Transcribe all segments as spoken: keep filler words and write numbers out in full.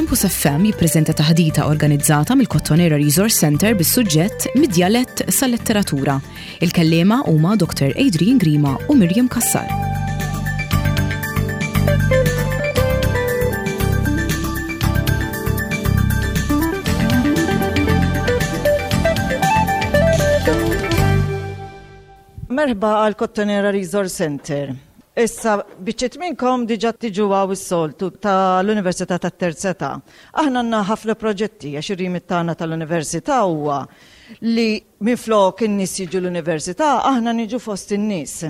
Campus F M jippreżenta taħdita organizzata mill-Kottonera Resource Center bis-suġġett "Mid-djalett sal-letteratura". Il-kellima huma Doctor Adrian Grima u Miriam Cassar. Merħba għal Kottonera Resource Center. Issa, biċċiet minnkom diġa tiġu hawn is-soltu tal-Università tat-Terza Età. Aħna għandna ħafna proġetti għax ir-remit tagħna tal-Università huwa li minflok in-nies jiġu l-università, aħna niġu fost in-nies.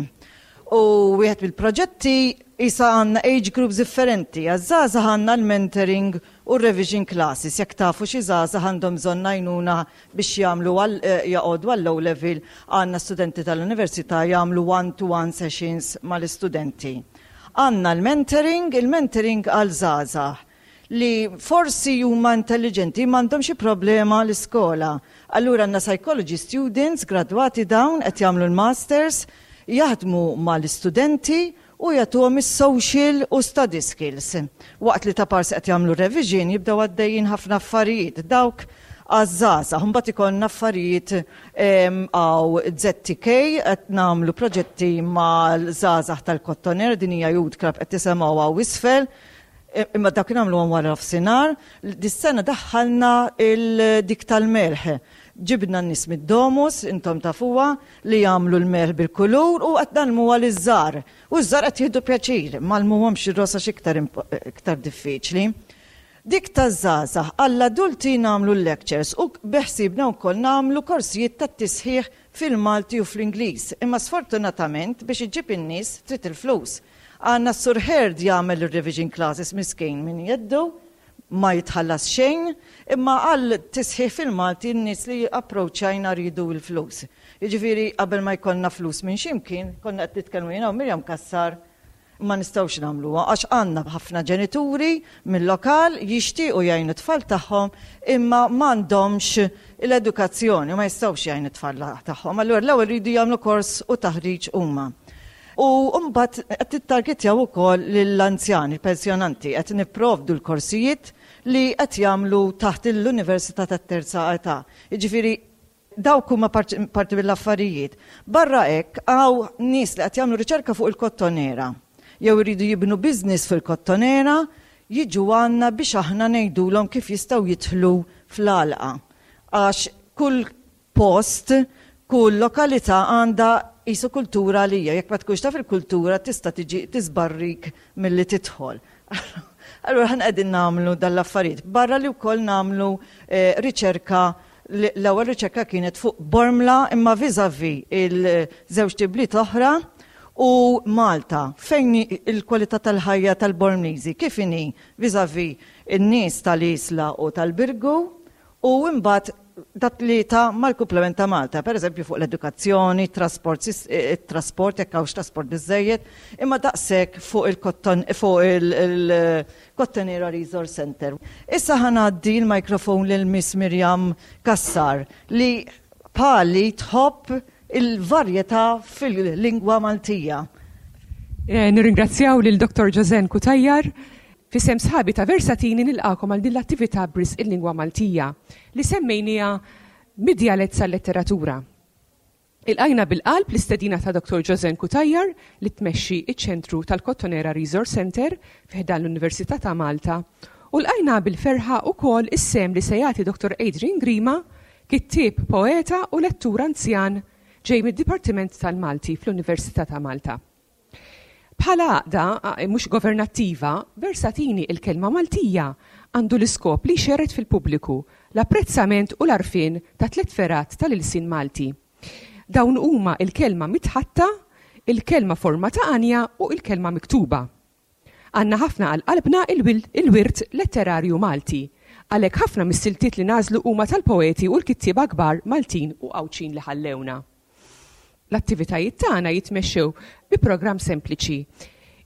U wieħed mill-proġetti issa għandna age groups differenti. Għaż-żgħażagħ għandna l-mentoring u revision classes. Jekk tafu xi żgħażagħ għandhom bżonn għajnuna biex jagħmlu eh, jaqogħdu għall-O level, għandna studenti tal-università jagħmlu one-to-one sessions mal-istudenti. Għandna l-mentoring, il-mentoring għal żgħażagħ li forsi huma intelligenti m'għandhom xi problema l-iskola. Allura għandna psychology students gradwati, dawn qed jagħmlu l-masters, jaħdmu mal-istudenti u jagħtuhom is-social u study skills. Waqt li ta' parsi qed jagħmlu revision jibdew għaddejjin ħafna affarijiet. Dawk għaż-żgħażagħ, mbagħad ikollna affarijiet hawn Z T K, qed nagħmlu proġetti mal-żgħażagħ tal-Kottonera, din hija youth club qed tisimgħu hawn isfel, imma dak nagħmlu wara nofsinhar. Dis-sena daħħalna il-dik tal-melħ. Ġibna n-nies mid-Domus, intom tafuha, li jagħmlu l-melħ bil-kulur u qed ngħallmuha liż-żgħar. U ż-żgħar qed jieħdu pjaċir, m'għallmuhomx ir-rosa iktar iktar diffiċli. Dik taż-żgħażagħ. Għall-adulti nagħmlu l-lectures u beħsibna wkoll nagħmlu korsijiet tat-tisħiħ fil-Malti u fl-Ingliż. Imma sfortunatament biex iġib in-nies trid il-flus. Għandna s-Sur Herd jagħmel il-revision classes, miskin, minn jeddu, ma jitħallas xejn, imma għal tisħiħ fil-Malti n-nies li approachajna rridu l-flus. Jiġifieri qabel ma jkollna flus minn ximkien, konna qed nitkellmu jiena u Mirjam Cassar, ma nistgħux nagħmluha għax għandna ħafna ġenituri mill-lokal jixtiequ jgħinu tfal tagħhom imma m'għandhomx l-edukazzjoni u ma jistgħux jgħinu tfal tagħhom. Allura l-ewwel jridu jagħmlu kors u taħriġ huma. U mbagħad qed nittargetjaw ukoll lill-anzjani, il-pensjonanti, qed nipprovdu l-korsijiet li qed jagħmlu taħt l-Università tat-Terza Età. Jiġifieri dawk huma parti mill-affarijiet. Barra hekk hawn nies li qed jagħmlu riċerka fuq il-Kottonera jew iridu jibnu business fil-Kottonera, jiġu għandna biex aħna ngħidulhom kif jistgħu jidħlu fl-għalqa. Għax kull post, kull lokalità għandha qisu kultura li hija, jekk ma tkunx taf il-kultura tista' tiġi tisbarrik milli tidħol. Allura ħan qegħdin nagħmlu dal-affarijiet. Barra li wkoll nagħmlu eh, riċerka. L-ewwel riċerka kienet fuq Bormla imma vis-à-vis il-żewġ ibliet oħra u Malta, fejn il-kwalità tal-ħajja tal-Bormliżi kif inhi vis-à-vis in-nies tal-Isla u tal-Birgu u imbagħad dat li ta' mal-komplement ta' Malta, per eżempju fuq l-edukazzjoni, trasport, eh, trasport, jekk hawnx trasport biżejjed, imma daqshekk fuq il-Kotton fuq il-Kottonera Resource Center. Issa ħa ngħaddi l-mikrofon lil Miss Miriam Cassar li bħali tħobb il-varjetà fil-lingwa Maltija. Eh, nirringrazzjaw lil Doctor Josen Cutajar. F'isem sħabi ta' Versatini nilqakom għal din l-attività b'risq il-lingwa Maltija li semmejnija "Mid-djalett sal-letteratura". Ilqajna bil-qalb l-istedina ta' Doctor Josen Cutajar li tmexxi iċ-ċentru tal-Kottonera Resource Center fi ħdan l-Università ta' Malta u lqajna bil-ferħa ukoll is-sehem li se jagħti Doctor Adrian Grima, kittieb, poeta u lettur anzjan ġej mid-Dipartiment tal-Malti fl-Università ta' Malta. Bħala għaqda mhux governattiva, Versatini il-kelma Maltija għandu l-iskop li xerred fil-pubbliku l-apprezzament u l-għarfien ta' tliet fergħat tal-ilsien Malti. Dawn huma il-kelma mitħaddta, il-kelma forma ta' għanja u il-kelma miktuba. Għandna ħafna għal qalbna il-wirt letterarju Malti. Għalhekk ħafna mis-siltiet li nagħżlu huma tal-poeti u l-kittieba kbar Maltin u Għawdxin li ħallewna. L-attivitajiet tagħna jitmexxew bi programm sempliċi.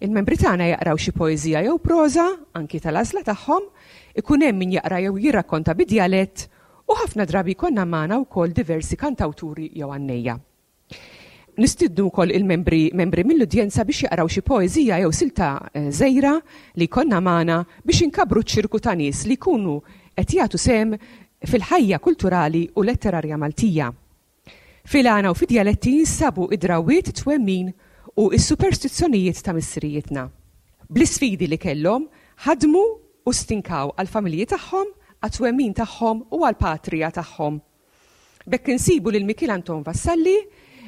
Il-membri tagħna jaqraw xi poeżija jew proża, anki tal-għażla tagħhom, ikun hemm min jaqra jew jirrakkonta bid-djalett u ħafna drabi jkollna magħna wkoll diversi kantawturi jew għannejja. Nistiednu wkoll il-membri membri mill-udjenza biex jaqraw xi poeżija jew silta eh, żgħira li jkollna magħna biex inkabbru ċ-ċirku ta' nies li jkunu qed jagħtu sehem fil-ħajja kulturali u letterarja Maltija. Fil-għana u fid-djaletti jinsabu id-drawwiet, twemmin u s-superstizzjonijiet ta' missirijietna. Bl-isfidi li kellhom, ħadmu u stinkaw għall-familji tagħhom, għat-twemmin tagħhom u għall-patrija tagħhom. B'hekk insibu lil Mikiel Anton Vassalli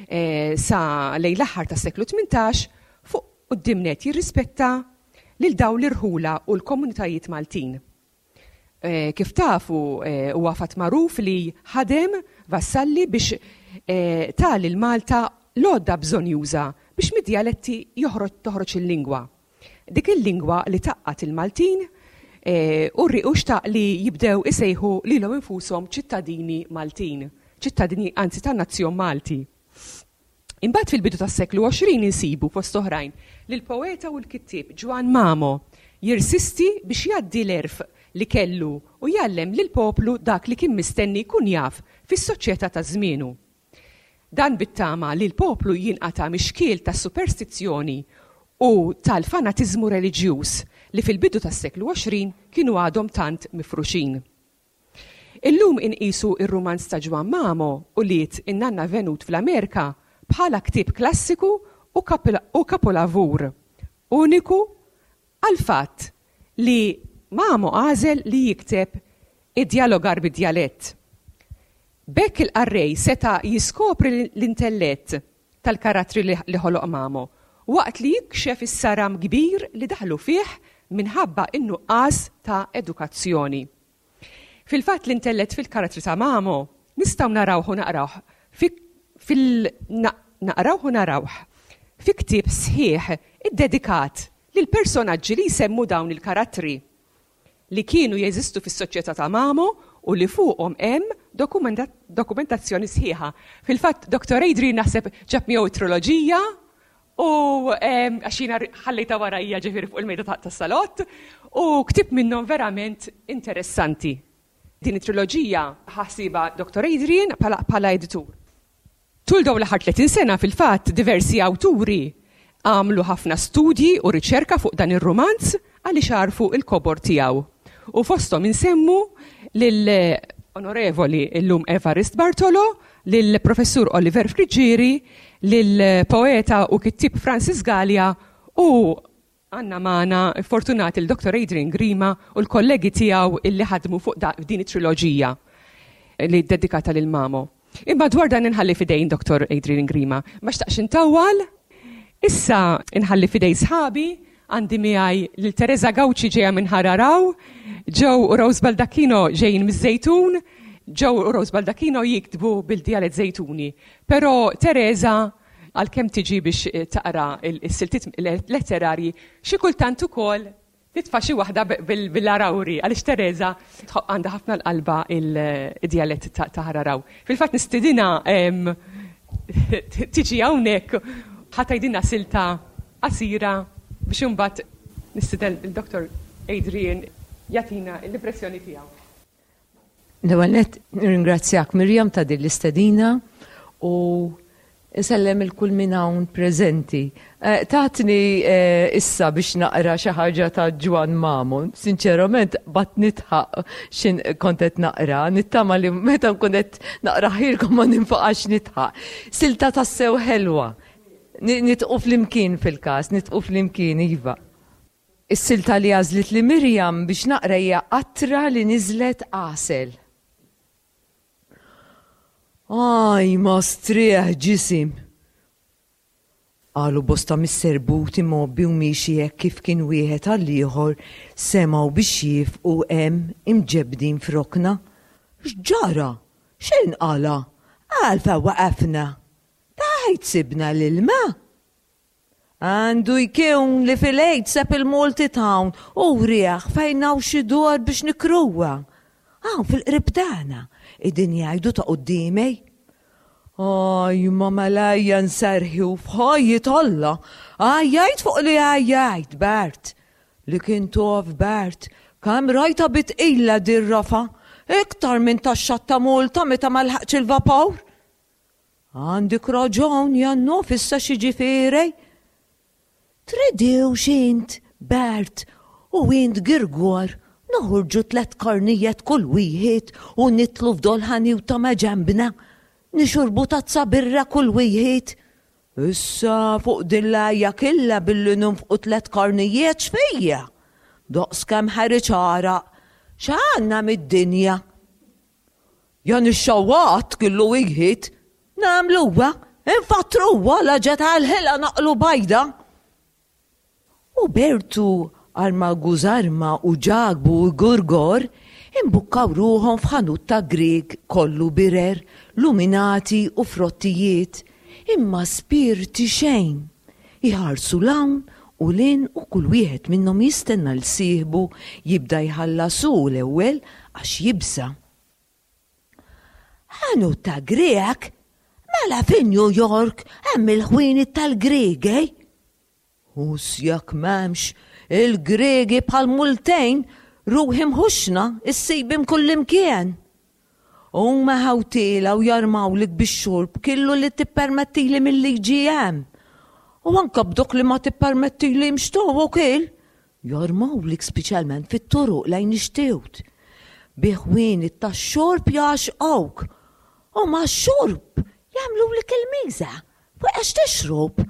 eh, sa lejn l-aħħar tas-seklu tmintax fuq quddiem nett jirrispetta lil dawn l-irħula u l-komunitajiet Maltin. Eh, kif tafu, eh, huwa fatt magħruf li ħadem Vassalli biex eh, ta lil Malta l-għodda bżonjuża biex mid-djaletti joħroġ toħroġ il-lingwa. Dik il-lingwa li tgħaqqad il-Maltin u u xtaq li jibdew isejħu lilhom infushom ċittadini Maltin, ċittadini anzi tan-nazzjon Malti. Imbagħad fil-bidu tas-seklu għoxrin insibu fost oħrajn lil poeta u l-kittieb Ġwann Mamo jirsisti biex jgħaddi l-għerf li kellu u jgħallem lil poplu dak li kien mistenni jkun jaf fis-soċjetà ta' żmienu. Dan bit-tama li l-poplu jinqata' mix-xkiel tas-superstizzjoni u tal-fanatiżmu reliġjuż li fil-bidu tas-seklu għoxrin kienu għadhom tant mifruxin. Illum inqisu ir-rumanz ta' Ġwann Mamo Ulied in-Nanna Venut fl-Amerika bħala ktieb klassiku u kapolavur uniku għal fatt li Mamo għażel li jikteb id-dialogar bid-djalett. B'hekk il-qarrej seta' jiskopri l-intellett tal-karattri li ħoloq Mamo waqt li jikxef is-saram kbir li daħlu fih minħabba in-nuqqas ta' edukazzjoni. Fil-fatt l-intellett fil-karattri ta' Mamo nistgħu narawh u naqrawh fil naqrawh u narawh fi ktieb sħiħ iddedikat lil personaġġi li jsemmu dawn il-karattri li kienu jeżistu fis-soċjetà ta' Mamo u li fuqhom hemm dokumentazzjoni sħiħa. Fil-fatt Doktor Adrian naħseb ġab miegħu triloġija u għax jiena ħallejta warajja ġifieri fuq il-mejda tas-salott u ktieb minnhom verament interessanti. Din it-triloġija ħasiba Doktor Adrian bħala editur. Tul dawn l-aħħar tletin sena fil-fatt diversi awturi għamlu ħafna studji u riċerka fuq dan ir-rumanz għaliex għarfu il-kobor tiegħu. U fosthom insemmu lill-Onorevoli illum Evarist Bartolo, lill-Professur Oliver Friggieri, lill-poeta u kittieb Francis Galea u għandna magħna fortunat il-Doktor Adrian Grima u l-kollegi tiegħu illi ħadmu fuq din it-triloġija li dedikata lil Mamo. Imma dwar dan inħalli fidejn Doktor Adrian Grima. Ma xtaqx intawwal, issa inħalli fidejn sħabi, għandi miegħi lil Teresa Gauci ġejja minn Ħararaw, Joe u Rose Baldacchino ġejjin miż-Żejtun, Joe u Rose Baldacchino jiktbu bil-djalett Żejtuni. Però Teresa għalkemm tiġi biex taqra il-siltiet letterarji, xi kultant ukoll titfa' xi waħda bil-Arawri, għaliex Teresa għandha ħafna l-qalba il-djalett ta' Ħararaw. Fil-fatt nistidina tiġi hawnhekk ħa tgħidilna silta qasira biex imbagħad nistieden il-Doktor Adrian jagħtina l-impressjoni tiegħu. L-ewwel nett nirringrazzjak Mirjam ta' din l-istedina u nsellem il kull min hawn preżenti. Tatni issa biex naqra xi ħaġa ta' Ġwann Mamo. Sinċerament bat nitħaq x'in kont qed naqra, nittama li meta nkun qed naqra ħilkom ma ninfaqax nitħaq. Silta tassew ħelwa. Nitqu flimkien fil-każ, nitqu flimkien iva. Is-silta li għażlit li Mirjam biex naqra hija qatra li niżlet għasel. Aj, ma strieħ ġisim. Qalu bosta mis-serbuti mgħobbi u miexi hekk kif kien wieħed għall-ieħor semgħu biex jifqu hemm imġebbdin f'rokna. X'ġara? X'inqala? Għalfa waqafna. Tajt sibna l-ilma. Għandu jkun li fil-għid seb il-Malti Town u rieħ fejn hawn xi dwar biex nikruha. Hawn fil-qrib tagħna, idin jgħidu ta' quddiemej. Aj, ma malajja nsarħi u f'ħajjit Alla, għajjajt fuq li għajjajt, Bert. Li kien tof Bert, kemm rajta bitqila dir-rafa, iktar minn tax-xatt ta' Malta meta ma lħaqx il-vapur. Għandik raġun, Jannof, issa x'jiġifieri? Tridewx int, Bert, u int Girgor, noħorġu tliet karnijiet kull wieħed u nidħlu f'dol-ħanut ta' maġenbna, nixorbu tazza birra kull wieħed. Issa fuq din l-għajja kollha billi nonfqu tliet karnijiet x'fija? Daqs kemm ħareġ għaraq, x'għandna mid-dinja? Jan ix-xawat kellu wieħed, nagħmluha, infattruha la ġet għal-ħela naqlu bajda. U Bertu Arma Gużarma u Ġakbu u Gurgor imbukkaw ruħhom f'ħanut ta' Grieg kollu birer, luminati u frottijiet, imma spirti xejn. Iħarsu 'l hawn u 'l hinn u kull wieħed minnhom jistenna 'l sieħbu jibda jħallas hu l-ewwel għax jibża'. Ħanut ta' Grek? Mela fi New York hemm il-ħwienet tal-Griegi? Hux jekk m'hemmx il-Gregi bħal multejn ruħim ħuxna issibhom kullimkien. Huma ħawtiela u jarmawlik bix-xorb kollu li tippermettili mill-liġi hemm. U anka b'dok li ma tippermettili mxtow u kiel. Jarmawlik speċjalment fit-toroq lejn ix-xtut. Bi ħwienet tax-xorb jgħaxqawk. U ma xorb jagħmlulek il-miża fuq għax tixrob.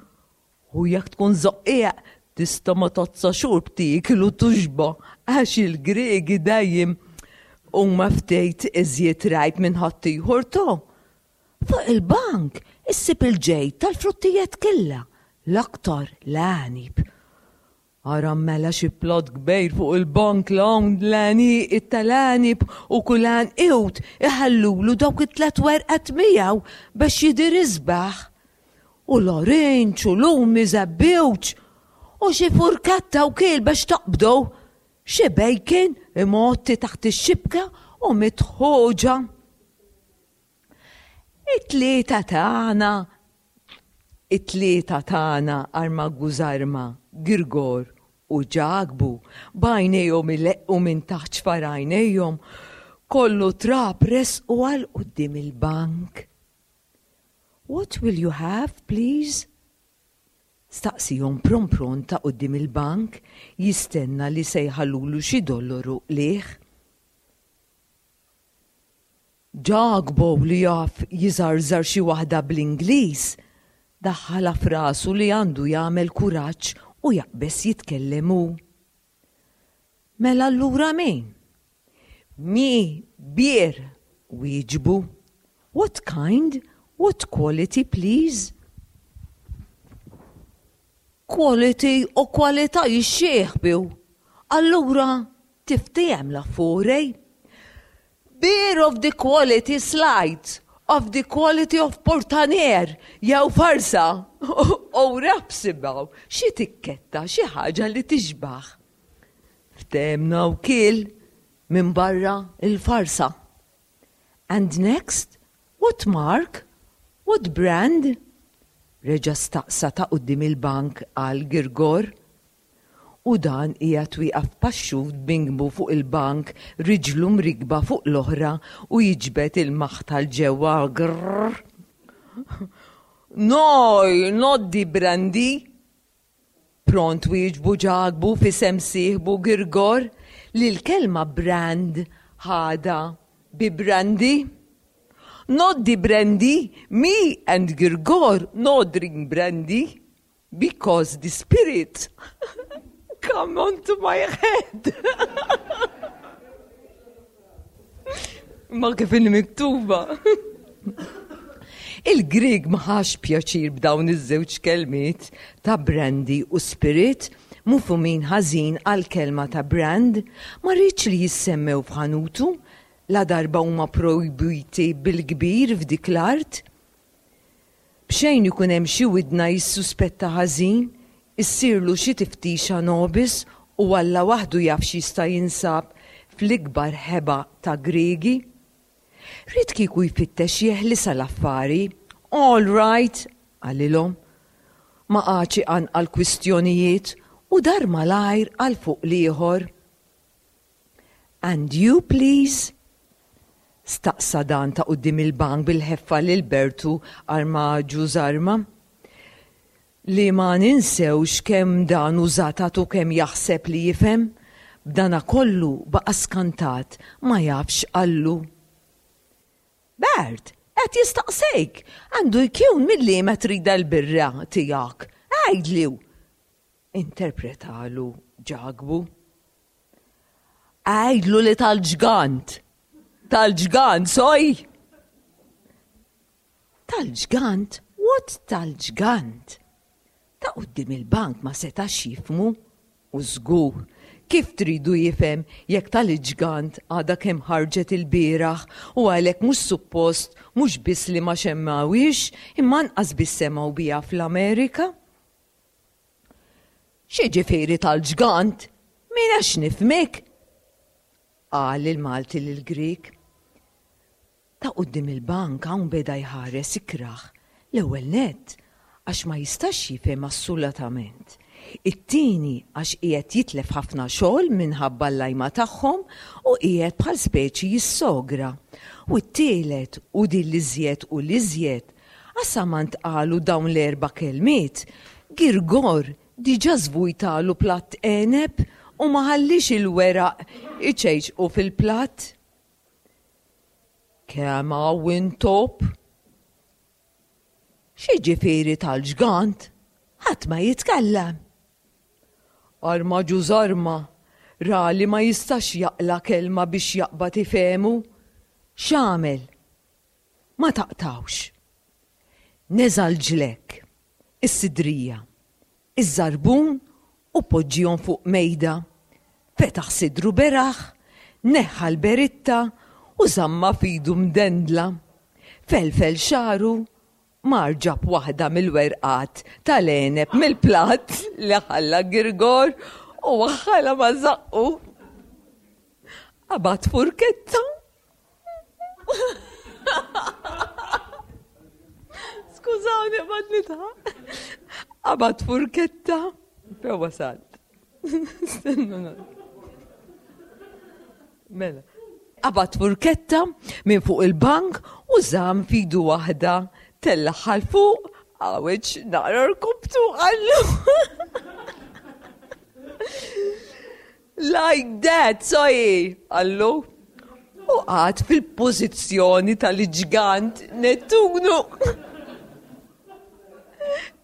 U jekk tkun żoqqieq tista' ma tazza xorb tiekil u tuxba għax il-Gregi dejjem huma ftit iżjed rajb minn ħaddieħor to. Fuq il-bank issib il-ġej tal-frottijiet kollha, l-aktar l-għeneb. Ara mela xi plot kbir fuq il-bank l-hawn l-għani it-tal-għeneb u kull għanqiud iħallulu dawk it-tlet werqet miegħu biex jidher isbaħ. U l-orange u lumi żebbuġ u xi furkatta u kiel biex taqbdu. Xi bacon imgħotti taħt ix-xibka u mitħoġa. It-tlieta tagħna, it-tlieta tagħna Arma Gużarma, Girgor u Ġakbu, b'għajnejhom ileqqu minn taħt xfarajnejhom, kollu trab resqu għal quddiem il-bank. "What will you have, please?" Staqsihom prompron ta' quddiem il-bank jistenna li se jħallulu xi dollaru liħ. Ġakbu li jaf jiżarżar xi waħda bl-Ingliż, daħħalha f'rasu li għandu jagħmel kuraġġ u jaqbeż jitkellem hu. "Mela allura min? Me, beer," wieġbu. "What kind? What quality, please?" Quality u kwalità jixxieħbiw. Allura tiftiehem l-affari. "Beer of the quality slight, of the quality of Portanier, jew farsa, u rapsibaw, xi tikketta, xi ħaġa li tixbaħ." Ftehemna u kiel minn barra il-farsa. "And next, what mark? What brand?" reġa' staqsa ta' quddiem il-bank għal Girgor. U dan qiegħed wieqaf paxxut bingbu fuq il-bank, riġlu mrikba fuq l-oħra u jiġbed il-maħta 'l ġewwa grrr. "No, not the brandy." Pront wieġbu Ġakbu f'isem sieħbu Girgor li l-kelma brand ħadha bi brandy. "Not the brandy, me and Girgor no drink brandy because the spirit come onto my head." Ma kif inni miktuba. Il-Grieg ma ħax pjaċir b'dawn iż-żewġ kelmiet ta' brandy u spirit mifhumin ħażin għal kelma ta' brand, ma riedx li jissemmew f'ħanutu la darba huma projbiti bil-kbir f'dik l-art. B'xejn ikun hemm xi widna jissuspetta ħażin, issirlu xi tiftixa nobis u Alla waħdu jaf x'jista' jinsab fl-ikbar ħeba ta' Griegi. Ried kieku jfittex jeħlisha l-affari. "All right," qalilhom. Ma qagħadx iqanqal kwistjonijiet u dar malajr għal fuq l-ieħor. "And you, please?" Staqsa dan ta' quddiem il-bank bil-ħeffa lil Bertu arma ġużarma. Li ma ninsewx kemm dan użatat u kemm jaħseb li jifhem, b'dana kollu baqa' skantat ma jafx qallu. Bert, qed jistaqsejk, għandu jkun mill-liema trida l-birra tiegħek, għidli. Interpretalu Ġakbu. Għidlu li tal-ġgant. Tal-ġgant, soj! Tal-ġgant? What tal-ġgant? Ta' quddiem il-bank ma setax jifhmu u żgur kif tridu jifhem jekk tal-ġgant għadha kemm ħarġet il-bieraħ u għalhekk mhux suppost mhux biss li ma xemmawix imma anqas biss semgħu biha fl-Amerika. X'jiġifieri tal-ġgant? Min għax nifhmek? Qal il-Malti lill-Grieg. Ta' quddiem il-bank hawn beda jħares ikrah l-ewwel nett għax ma jistax jifhem assolutament. It-tieni għax qiegħed jitlef ħafna xogħol minħabba l-lajma tagħhom u qiegħed bħal speċi jissogra. U t-tielet u din l-iżjed u l-iżjed għax sa ma ntqalu dawn l-erba' kelmiet, Girgor diġà żvujtalu platt għeneb u ma ħallix il-weraq iċejċqu fil-platt. Kemm hawn intop? X'jiġifieri tal-ġgant? Ħadd ma jitkellem. Arma ġużarma, ra li ma jistax jaqla' kelma biex jaqbad ifehmu. X'għamel? Ma taqtgħux. Neża' l-ġlekk, is-sidrija, iż-żarbun u poġġihom fuq mejda. Fetaħ sidru beraħ, neħħa l-beritta u żammha f'idu mdendla. Felfel xagħru, mar ġab waħda mill-werqat tal-għeneb mill-platt li ħalla Girgor u waħħalha ma' żaqqu. Qabad furketta. Skużawni, qbad nidħak. Qabad furketta. Fejn wasalt? Stennu. Mela. Qabad furketta minn fuq il-bank u żamm f'idu waħda, tellagħha 'l fuq, għawġ naqra rkubtu qallu. Like that, soji, qallu. U qagħad fil-pożizzjoni tal-ġgant Nettunu.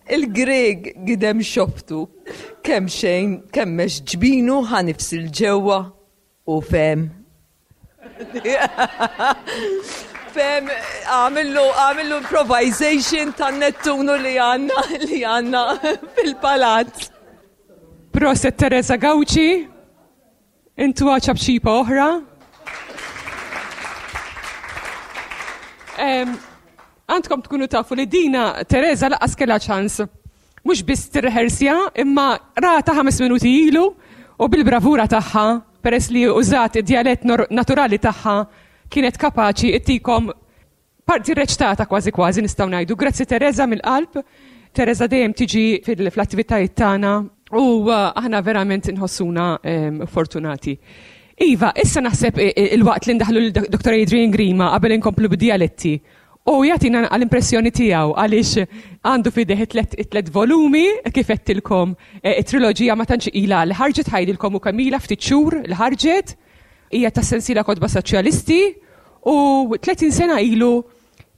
Il-Grieg gidem xoftu, kemm xejn kemmex ġbinu ħa nifs il-ġewwa u fehem. Fehem, għamillu, għamillu improvisation tan-Nettunu li għandna, li għandna fil-palazz. Proset Teresa Gauci, intuha ċapċipa oħra. Għandkom tkunu tafu li dina Teresa laqas kellha ċans mhux biss tirreħersja imma rata ħames minuti ilu u bil-bravura tagħha peress li użat id-djalett naturali tagħha kienet kapaċi ittikom parti reċtata kważi kważi nistgħu ngħidu. Grazzi Teresa mill-qalb. Teresa dejjem tiġi fl-attivitajiet tagħna u aħna verament inħossuna fortunati. Iva, issa naħseb il-waqt li ndaħlu lil Dottor Adrian Grima qabel inkomplu bid-djaletti. U jagħtina l-impressjoni tiegħu għaliex għandu f'ideh it-tlet volumi kif għedtilkom it-triloġija ma tantx ilha li ħarġet ħajdilkom u kemm ilha ftit xhur li ħarġet hija tas-sensiela Kotba Soċjalisti u tletin sena ilu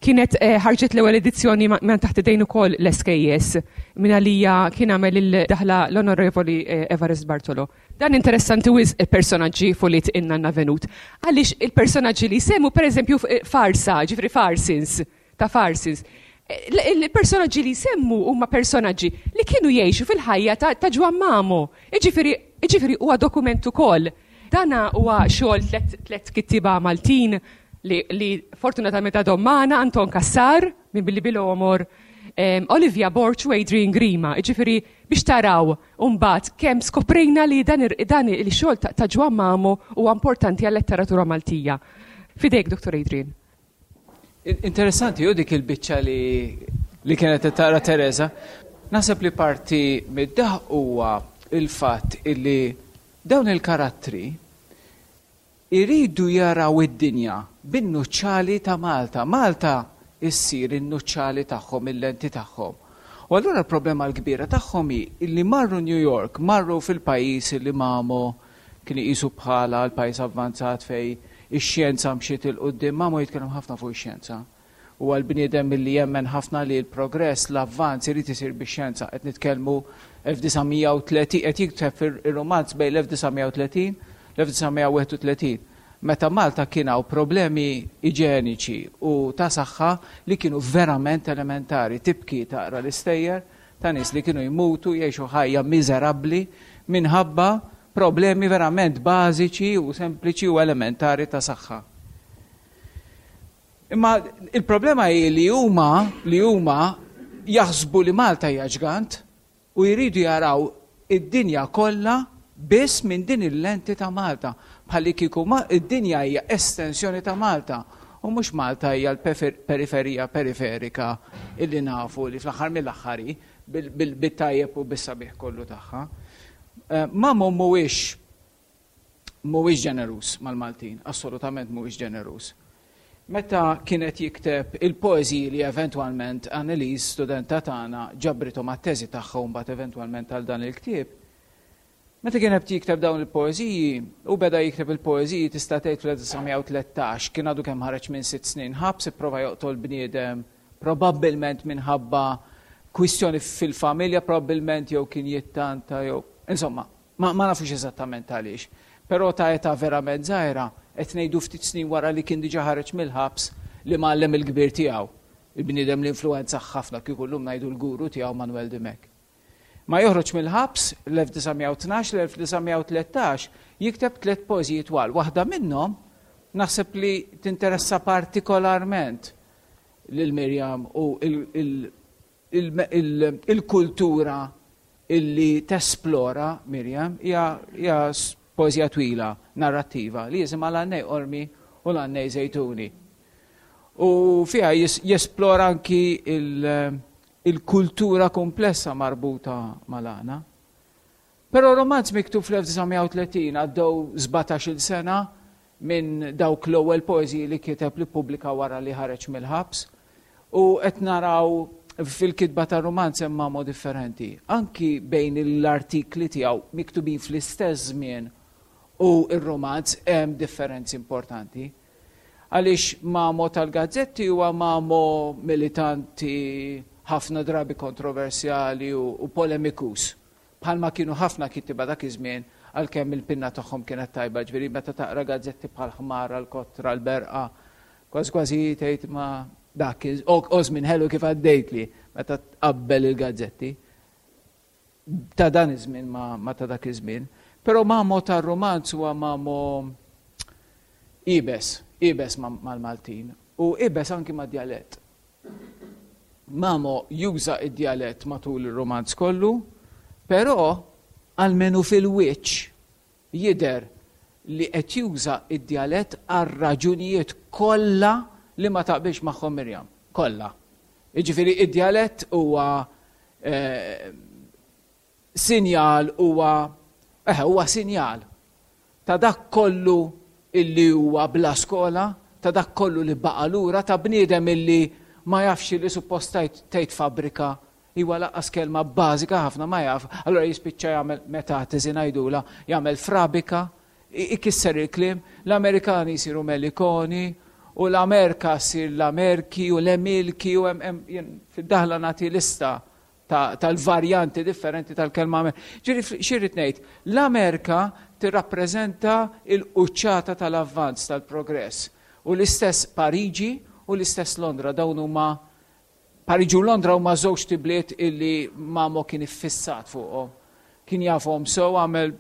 kienet ħarġet l-ewwel edizzjoni minn taħt idejn ukoll l-S K S minn għalija kien għamel il-daħla l-Onorevoli Evarist Bartolo. Dan interessanti wisq il-personaġġi fuq inna navenut. Għaliex il-personaġġi li semmu pereżempju farsa, ġifri farsins, ta' farsins. Il-personaġġi li semmu huma personaġġi li kienu jgħixu fil-ħajja ta' Ġwann Mamo. Jiġifieri huwa dokument ukoll. Dana huwa xogħol tliet kittieba Maltin li, li fortunatament għadhom magħna, Anton Cassar minn Billi Bilomor, Olivia Borg u Adrian Grima. Jiġifieri biex taraw mbagħad kemm skoprejna li dan il-xogħol ta' Ġwann Mamo huwa importanti għal-letteratura Maltija. Fidejk, Dottor Adrian. Interessanti hu dik il-biċċa li, li kienet tara Teresa. Naħseb li parti mid-daħ huwa il-fatt illi dawn il-karattri Iridu jaraw id-dinja bin-nuċċali ta' Malta. Malta issir in-nuċċali tagħhom, il-lenti tagħhom. U allura l-problema l-kbira tagħhom hi li marru New York, marru fil-pajjiż li Mamo kien iqisu bħala l-pajjiż avvanzat fej ix-xjenza mxiet 'il quddiem. Mamo jitkellem ħafna fuq ix-xjenza. Huwa l-bniedem li jemmen ħafna li l-progress, l-avvanz irid isir bix-xjenza. Qed nitkellmu elf disa' mija u tletin, qed jikteb ir-romanz bejn l-elf disa' mija u tletin l-elf disa' mija u wieħed u tletin. Meta Malta kien hawn problemi iġeniċi u ta' saħħa li kienu verament elementari, tibki taqra l-istejjer ta' nies li kienu jmutu, jgħixu ħajja miżerabbli minħabba problemi verament bażiċi u sempliċi u elementari ta' saħħa. Imma il-problema hi li huma li huma jaħsbu li Malta hija ġgant u jridu jaraw id-dinja kollha biss minn din il-lenti ta' Malta. Bħalli kieku id-dinja hija estensjoni ta' Malta u mhux Malta hija l-periferija periferika illi nafu li fl-aħħar mill-aħħar bit-tajjeb u bis-sabiħ kollu tagħha. Eh, Mamo mhuwiex mhuwiex ġeneruż mal-Maltin, assolutament mhuwiex ġeneruż. Meta kienet jikteb il-poeżiji li eventwalment Annelies, studenta tagħna, ġabrithom għat-teżi tagħha u mbagħad eventwalment għal dan il-ktieb, meta kien qed jikteb dawn il-poeżiji, u beda jikteb il-poeżiji tista' tgħid fl-elf disa' mija u tlettax, kien għadu kemm ħareġ minn sitt snin ħabs, ipprova joqtol bniedem, probabbilment minħabba kwistjoni fil-familja, probabbilment jew kien jittanta jew insomma, ma, ma nafux eżattament għaliex. Però ta' età verament żgħira, qed ngħidu ftit snin wara li kien diġà ħareġ mill-ħabs li mgħallem il-kbir tiegħu. Il-bniedem li influenza ħafna, kieku llum ngħidu l-guru tiegħu, Manuel Dimech. Ma joħroġ mill-ħabs l-elf disa' mija u tnax, l-elf disa' mija u tlettax jikteb tliet poeżiji twal. Waħda minnhom naħseb li tinteressa partikolarment lil Mirjam u il-kultura illi tesplora Mirjam hija poeżija twila, narrattiva, li jisimha L-Għannej Qormi u l-Għannej Żejtuni. U fiha jesplora anki il-kultura komplessa marbuta mal-għana. Però romanz miktub fl-elf disa' mija u tletin, għaddew sbatax-il sena minn dawk l-ewwel poeżiji li kiteb, li pubblika wara li ħareġ mill-ħabs. U qed naraw fil-kitba ta' romanz hemm Mamo differenti. Anki bejn l-artikli tiegħu miktubin fl-istess żmien u r-romanz hemm differenzi importanti. Għaliex Mamo tal-gazzetti huwa Mamo militanti, ħafna drabi kontroversjali u, u polemikus. Bħalma kienu ħafna kittiba dak iż-żmien, għalkemm il-pinna tagħhom kienet tajba, ġifieri meta taqra gazzetti bħal Ħmara, l-Kotra, l-Berqa, kważi kważi tgħid ma dak o żmien ħelu kif għaddejtli meta tqabbel il-gazzetti ta' dan iż-żmien ma, ma ta' dak iż-żmien. Però Mamo tar-romanz huwa Mamo iebes, iebes mal-Maltin u iebes anki ma' djalett. Mamo juża id-djalett matul il-romanz kollu, però almenu fil-wiċċ jidher li qed juża id-djalett għal raġunijiet kollha li ma taqbilx magħhom Mirjam. Kollha. Jiġifieri id-djalett huwa eh, sinjal huwa eh, huwa sinjal ta' dak kollu illi huwa bla skola, ta' dak kollu li baqa' lura, ta' bniedem illi ma jafx li suppost tgħid fabbrika, iwa lanqas kelma bażika ħafna ma jaf, allora jispiċċa jagħmel metatesi ngħidula, jagħmel frabika, ikisser il-kliem, l-Amerikani jsiru melikoni, u l-Amerika ssir l-Amerki u l-Emilki u fid-daħla nagħti lista tal-varjanti differenti tal-kelma. Ġifieri x'irrid ngħid, l-Amerika tirrappreżenta il-quċċata tal-avvanz, tal-progress. U l-istess Pariġi u l-istess Londra, dawn huma Pariġi u Londra huma żewġ bliet illi Mamo kien iffissat fuqhom. Kien jafhom sew, għamel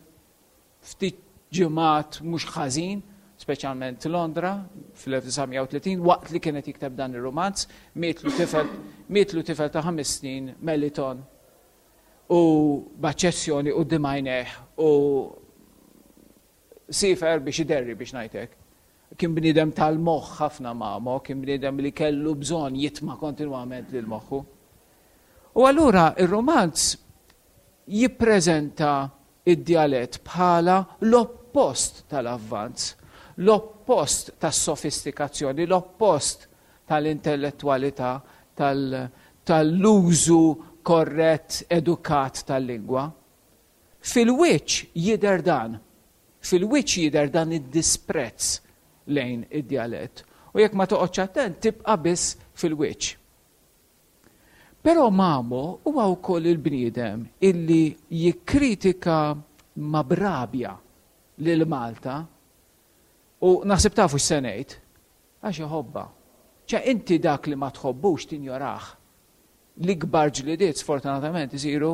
ftit ġimgħat mhux ħażin, speċjalment Londra fl-elf disa' mija u tletin waqt li kienet jikteb dan ir-romanz, mietlu tifel, mietlu tifel ta' ħames snin, Meliton, u b'aċċessjoni u dimajneħ u siefer biex iderri, biex ngħidlek. Kien bniedem tal-moħħ ħafna Mamo, kien bniedem li kellu bżonn jitma' kontinwament lil moħħu. U allura ir-romanz jippreżenta id-djalett bħala l-oppost tal-avvanz, L-oppost tas-sofistikazzjoni, l-oppost tal-intellettualità, tal-użu korrett, edukat tal-lingwa. Fil-wiċċ jidher dan. Fil-wiċċ jidher dan id-disprezz lejn id-djalett. U jekk ma toqgħodx attent tibqa' biss fil-wiċċ. Però Mamo huwa wkoll il-bniedem illi jikkritika ma b'rabja lil Malta u naħseb tafu x'se ngħid, għax iħobbha. Ċe inti dak li ma tħobbux tinjorah. L-ikbar ġlidiet sfortunatament isiru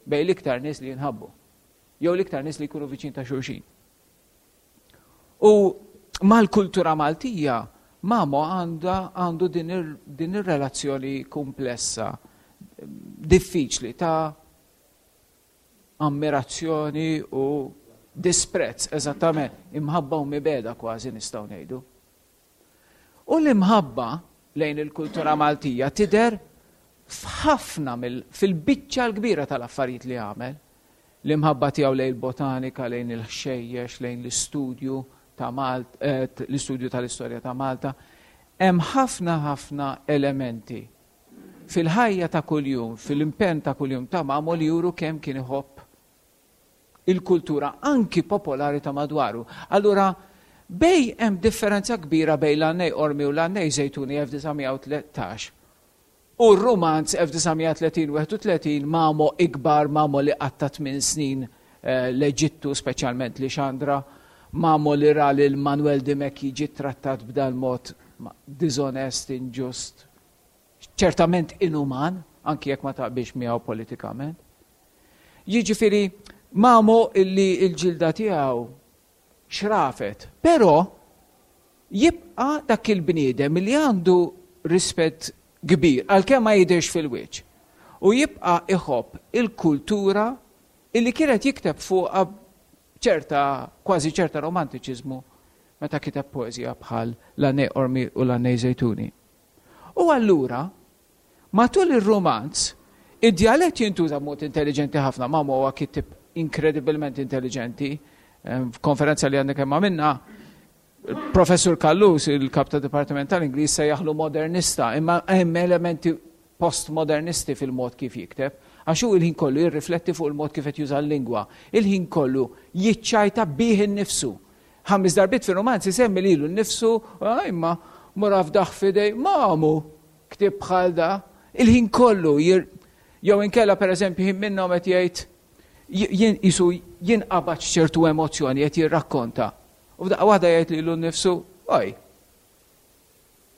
bejn l-iktar nies li jinħabbu. Jew l-iktar nies li jkunu viċin ta' xulxin. U mal-kultura Maltija, Mamo għandha għandu din ir-relazzjoni komplessa, diffiċli ta' ammirazzjoni u disprezz, eżattament, imħabba u mibegħda kważi nistgħu ngħidu. U l-imħabba lejn il-kultura Maltija tidher f'ħafna fil-biċċa l-kbira tal-affarijiet li għamel. L-imħabba tiegħu lejn il-botanika, lejn il-ħxejjex, lejn l-istudju ta' Malta, eh, l-istudju tal-istorja ta' Malta. Hemm ħafna ħafna elementi fil-ħajja ta' kuljum, fil-impenn ta' kuljum ta' Mamo li juru kemm kien iħobb il-kultura anki popolari ta' madwaru. Allura, bejn hemm differenza kbira bejn l-Għannej Qormi u l-Għannej Żejtuni elf disa' mija u tlettax u r-rumanz elf disa' mija tletin u wieħed u tletin Mamo ikbar, Mamo li qatta' tmien snin, eh, l-Eġittu, speċjalment li Xandra, Mamo li ra lil Manuel Dimech jiġi trattat b'dal mod dizonest, inġust, ċertament inuman, anki jekk ma taqbilx miegħu politikament. Jiġifieri Mamo illi l-ġilda tiegħu xrafet, però jibqa' dak il-bniedem li għandu rispett kbir, għalkemm ma jidhirx fil-wiċċ, u jibqa' iħobb il-kultura illi kienet jikteb fuqha ċerta, kważi ċerta romantiċiżmu meta kiteb poeżija bħal l-Għannej Qormi u l-Għannej Żejtuni. U allura, matul ir-romanz, id-djalett jintuża b'mod intelligenti ħafna. Mamo huwa kitib inkredibilment intelligenti. F'konferenza li għandek kemm għamilna, Professur Callus, il-kap ta' Dipartiment tal-Ingliż, se jaħlu modernista, imma hemm elementi postmodernisti fil-mod kif jikteb, għax hu il-ħin kollu jirrifletti fuq il-mod kif qed juża l-lingwa, il-ħin kollu jiċċajta bih innifsu. Ħames darbiet fir-romanz isemmi lilu nnifsu, ah, imma mura fdaħ f'idej, Mamu, ktieb bħal da, il-ħin kollu jir-, jew inkella pereżempju ħin minnhom qed jgħid jien isu jinqabad ċertu emozzjoni qed jirrakkonta. U f'daqqa waħda jgħid lilu nnifsu, oj,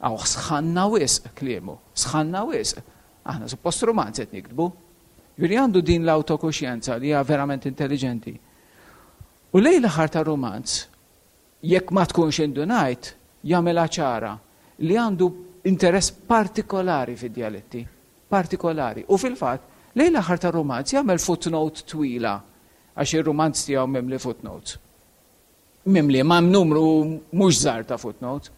għaw sħanna wisq kliemu, sħanna wisq. Aħna suppost romanz qed niktbu. Ġifieri għandu din l-autokuxjenza li hija verament intelligenti. U lejn l-aħħar ta' romanz, jekk ma tkunx indunajt, jagħmilha ċara li għandu interess partikolari fid-djaletti, partikolari. U fil-fatt, lejn l-aħħar ta' romanz jagħmel footnote twila, għax ir-romanz tiegħu mimli footnotes. Mimli, ma' numru mhux żgħar ta' footnotes,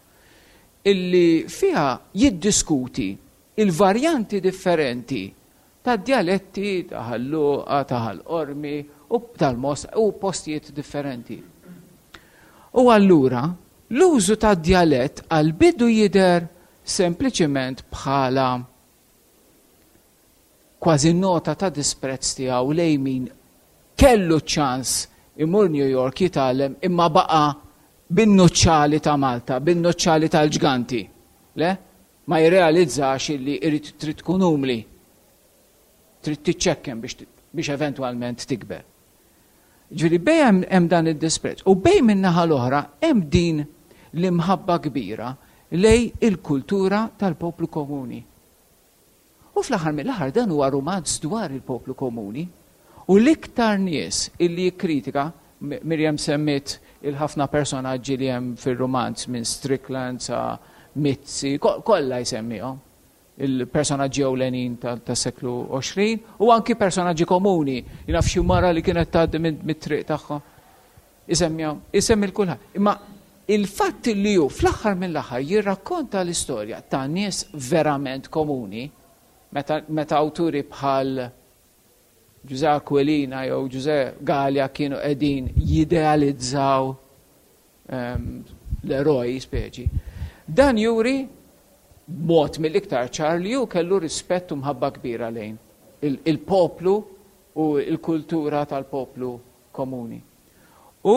illi fiha jiddiskuti il-varjanti differenti ta' djaletti ta' Ħal Luqa, ta' Ħal Qormi u tal-Mosta u postijiet differenti. U allura l-użu ta' djalett għal bidu jidher sempliċement bħala kważi nota ta' disprezz tiegħu lejn min kellu ċans imur New York jitgħallem imma baqa' bin-nuċċali ta' Malta, bin-nuċċali tal-ġganti. Le? Ma jirrealizzax illi irid trid tkun umli. Trid tiċċekken biex, biex eventwalment tikber. Ġifieri bej hemm, hemm dan id-disprezz. U bej min-naħa l-oħra hemm din l-imħabba kbira lej il-kultura tal-poplu komuni. U fl-aħħar mill-aħħar dan huwa rumanz dwar il-poplu komuni. U l-iktar nies illi jikkritika, M-, Miriam semmiet il-ħafna personaġġi li hemm fir-rumanz minn Strickland sa Mizzi, ko-, kollha jsemmihom il-personaġġi ewlenin ta-, tas-seklu għoxrin u anki personaġġi komuni, jien naf xi mara li kienet tgħaddi minn, mit-triq tagħha. Isemmihom, isemmi l-kulħadd. Imma il-fatt li hu fl-aħħar mill-aħħar jirrakkonta l-istorja ta' nies verament komuni, meta, meta awturi bħal Ġużè Aquilina jew Ġużè Galea kienu qegħdin jidealizzaw, ehm, l-eroj speċi. Dan juri b'mod mill-iktar ċar li hu kellu rispett u mħabba kbira lejn il-poplu u l-kultura tal-poplu komuni. U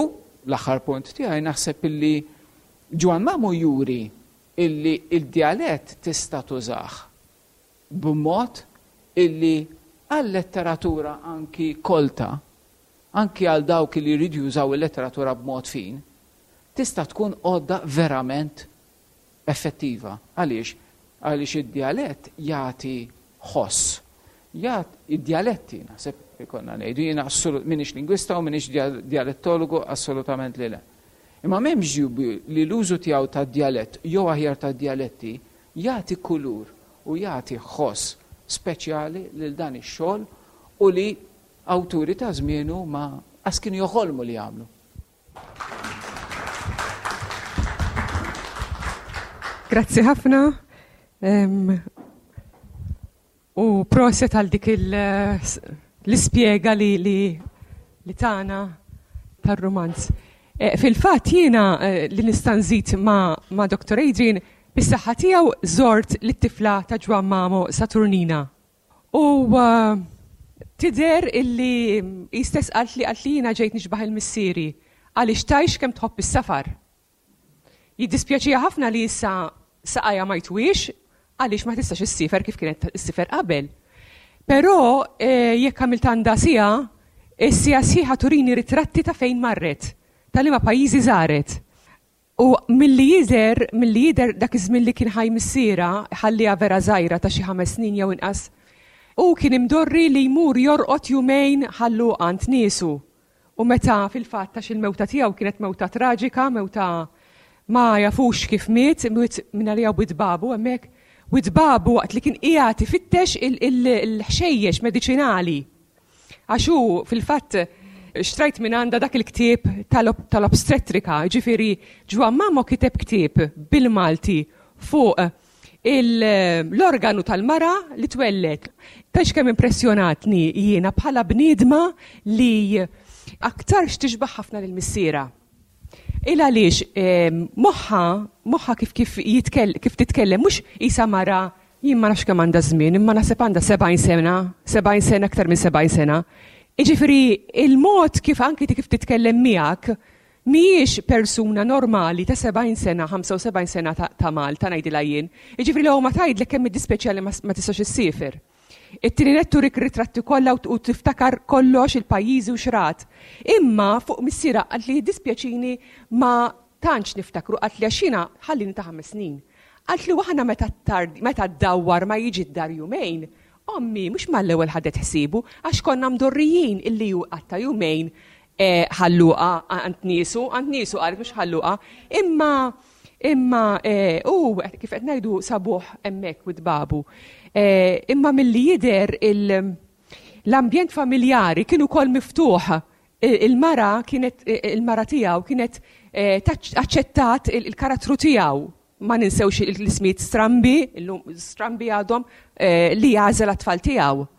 l-aħħar punt tiegħi naħseb illi Ġwann Mamo juri illi il-djalett tista' tużah b'mod illi għal-letteratura anki kolta, anki għal dawk li jridu jużaw il-letteratura b'mod fin, tista' tkun għodda verament effettiva. Għaliex? Għaliex id-djalett jagħti ħoss. Id-djaletti, naħseb ikonna ngħidu, jiena m'iniex lingwista u m'iniex djalettologu, assolutament li le. Imma m'hemmx dubju li l-użu tiegħu tad-djalett jew aħjar tad-djaletti jagħti kulur u jagħti ħoss speċjali lil dan ix-xogħol u li awturi ta' żmienu ma qas kienu joħolmu li jagħmlu. Grazzi ħafna. U proset għal dik l-ispjega li li tagħna tar-rumanz. Fil-fatt jiena li nista' nżid ma' Doctor Adrian, bis-saħħa tiegħu żort lit-tifla ta' Ġwann Mamo Saturnina. U tidher illi hi stess qalt li qalt li jiena ġejt nixbaħ il-missieri għaliex tgħix kemm tħobb is-safar. Jiddispjaċiha ħafna li issa saqajja ma jtwiex għaliex ma tistax issifer kif kienet issifer qabel. Però jekk għamilt għandha siegħa, is-siegħa sħiħa turini ritratti ta' fejn marret, ta' liema pajjiżi żaret. U milli jidher, milli jidher dak iż-żmien li kien ħaj missiera, ħalliha vera żgħira ta' xi ħames snin jew inqas, u kien imdorri li jmur jorqod jumejn ħallu għand niesu. U meta fil-fatt għax il-mewta tiegħu kienet mewta traġika, mewta ma jafux kif miet, miet minn għalija Wied Babu hemmhekk, Wied Babu waqt li kien qiegħed ifittex il-ħxejjex mediċinali. Għax hu fil-fatt xtrajt minn għandha dak il-ktieb tal-obstetrika, ġifieri Ġwann Mamo kiteb ktieb bil-Malti fuq l-organu tal-mara li twellet. Tgħidx kemm impressjonatni jiena bħala bniedma li aktarx tixbaħ ħafna lil missiera. Il għaliex moħħa, moħħa kif kif jitkell, kif titkellem, mhux isa mara, jien ma nafx kemm għandha żmien, imma naħseb għandha sebgħin sena, sebgħin sena, aktar minn sebgħin sena. Jiġifieri il-mod kif anki kif titkellem miegħek mhijiex persuna normali ta' sebgħin sena, ħamsa u sebgħin sena ta' Malta ngħidilha jien. Jiġifieri l-ewwel ma tgħidlek kemm iddispjaċiha li ma tistax issiefer. It-tieni nett turik ritratti kollha u tiftakar kollox il-pajjiżi u xrat. Imma fuq missiera qalt li jiddispjaċini ma tantx niftakru, qalt li għax jiena ħallini ta' ħames snin. Qalt li waħna meta tard, meta ddawwar ma jiġi d-dar jumejn, ommi mhux mal-ewwel ħadet ħsiebu għax konna mdorrijin illi hu qatta' jumejn ħalluqa għand niesu, għand niesu qalet mhux ħalluqa, imma imma u kif qed ngħidu sabuh hemmhekk Wied Babu. Imma milli jidher l-ambjent familjari kien ukoll miftuħ. Il-mara kienet, il-mara tiegħu kienet aċċettat il-karattru tiegħu. Ma ninsewx l-ismijiet strambi, illum strambi għadhom li jagħżel għat-tfal tiegħu.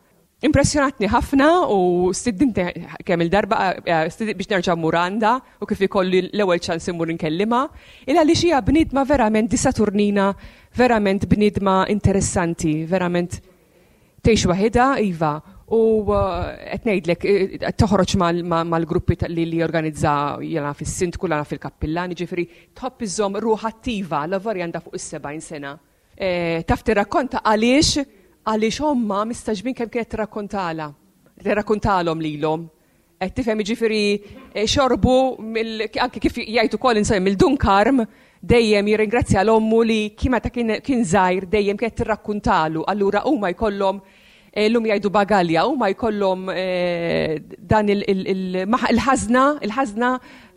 Impressjonatni ħafna u stiddinti kemm il-darba biex nerġa' mmur għandha u kif ikolli l-ewwel ċans immur inkellimha, il għaliex hija bniedma verament di Saturnina, verament bniedma interessanti, verament tgħix waħedha, iva, u qed ngħidlek toħroġ mal-gruppi li jorganizza jiena fis-sindku, jiena fil-kappillan, jiġifieri tħobb iżżomm ruħ attiva, l-avarja għandha fuq is-sebgħin sena. Taf tirrakkonta għaliex għaliex omma mistaġbin kemm kienet tirrakkontala, tirrakkontalhom lilhom. Qed tifhem, jiġifieri xorbu anke kif jgħid ukoll insomma mill-Dun Karm dejjem jirringrazzja l-ommu li kien meta kien żgħir dejjem kienet tirrakkuntalu. Allura huma jkollhom llum jgħidu bagalja, huma jkollhom dan il-ħażna, il-ħażna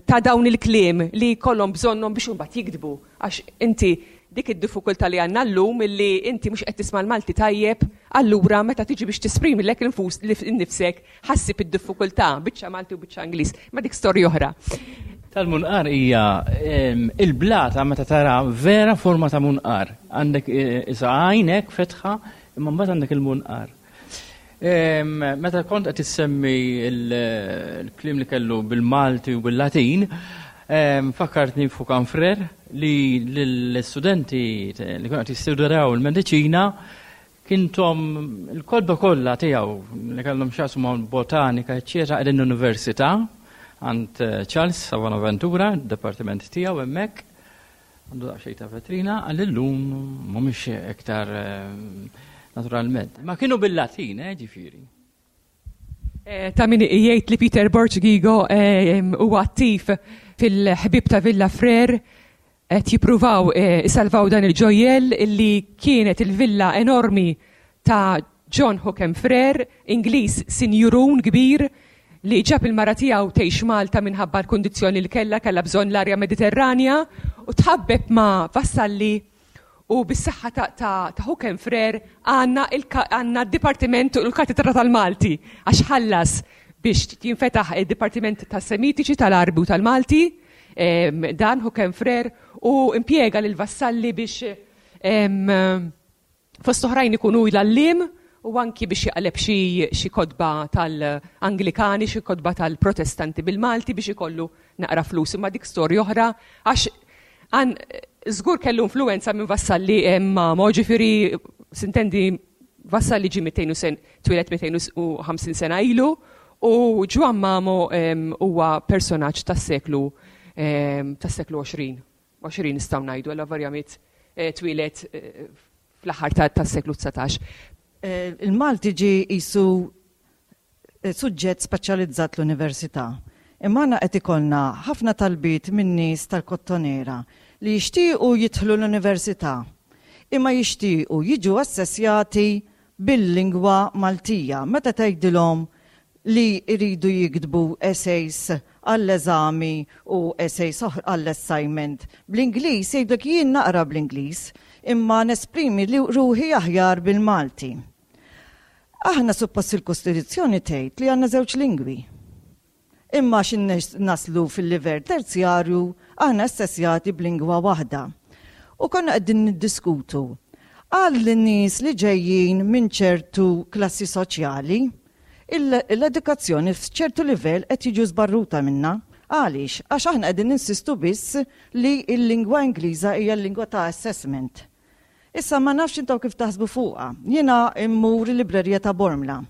ta' dawn il-kliem li jkollhom bżonnhom biex imbagħad jiktbu. Għax inti dik id-diffikultà li għandna llum illi inti mhux qed tisma' l-Malti tajjeb, allura meta tiġi biex tisprimi lek infus innifsek ħassib id-diffikultà biċċa Malti u biċċa Ingliż, ma dik storja oħra. Tal-munqar hija il-blata meta tara vera forma ta' munqar. Għandek isa għajnek fetħa, imma mbagħad għandek il-munqar. Meta kont qed issemmi l-kliem li kellu bil-Malti u bil-Latin, Fakkartni f'Hookham Frere li l-studenti li kienu qed jistudjaw il-mediċina kien tahom il-kotba kollha tiegħu li kellhom x'jaqsmu ma' botanika, eċċetera, qegħdin l-università għand Charles sa Bonaventura, d-dipartiment tiegħu hemmhekk. Għandu daqsxejn ta' vetrina, għal-lum mhumiex iktar naturalment. Ma kienu bil-Latin, eh, ġifieri. Ta' min jgħid li Peter Borg Ghigo huwa attiv fil-ħbib ta' Villa Frere, qed jippruvaw isalvaw dan il-ġojjel illi kienet il-villa enormi ta' John Hookham Frere, Ingliż sinjurun kbir li ġab il-mara tiegħu tgħix Malta minħabba l-kundizzjoni li kellha, kellha bżonn l-arja Mediterranja, u tħabbeb ma' Vassalli, u bis-saħħa ta', ta, ta' Hookham Frere għandna għandna d-Dipartiment u l-Katedra tal-Malti, għax ħallas biex jinfetaħ id-Dipartiment tas-Semitiċi, tal-Arbi u tal-Malti, dan Hookham Frere, u impjega lil Vassalli biex fost oħrajn ikunu l-għalliem u anki biex jaqleb xi kotba tal-Anglikani, xi kotba tal-Protestanti bil-Malti biex ikollu naqra flus. Imma dik storja oħra, għax għan żgur kellu influenza minn Vassalli ma' ġifieri sintendi Vassalli ġie mitejn u sen, twieled mitejn u ħamsin sena ilu, u Ġwann Mamo huwa personaġġ tas-seklu tas-seklu għoxrin. għoxrin nistgħu ngħidu, alla varjament twieled fl-aħħar tas-seklu dsatax. Il-Malti ġie qisu suġġett speċjalizzat l-università. Imma aħna qed ikollna ħafna talbiet minn nies tal-Kottonera li jixtiequ jidħlu l-università, imma jixtiequ jiġu assessjati bil-lingwa Maltija. Meta tgħidilhom li jridu jiktbu essays għall-eżami u essays għall-assignment bl-Ingliż, jgħidlek jien naqra bl-Ingliż, imma nesprimi li ruħi aħjar bil-Malti. Aħna suppost il-Kostituzzjoni tgħid li għandna żewġ lingwi. Imma xin naslu fil-livell terzjarju, aħna assessjati b'lingwa waħda. U konna qegħdin niddiskutu għal nies li ġejjin minn ċertu klassi soċjali, l-edukazzjoni f'ċertu livell qed jiġu żbarruta minna. Għaliex? Għax aħna qegħdin ninsistu biss li l-lingwa Ingliża hija l-lingwa ta' assessment. Issa ma nafx intom kif taħsbu fuqha. Jiena immur il-librerija ta' Bormla.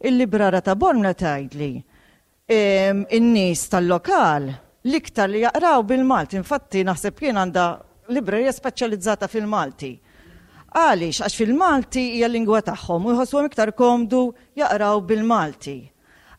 Il-librara ta' Bormla tgħidli in-nies tal-lokal l-iktar li jaqraw bil-Malti. Infatti naħseb jien għandha librerija speċjalizzata fil-Malti. Għaliex? Għax fil-Malti hija l-lingwa tagħhom u jħossuhom iktar komdu jaqraw bil-Malti.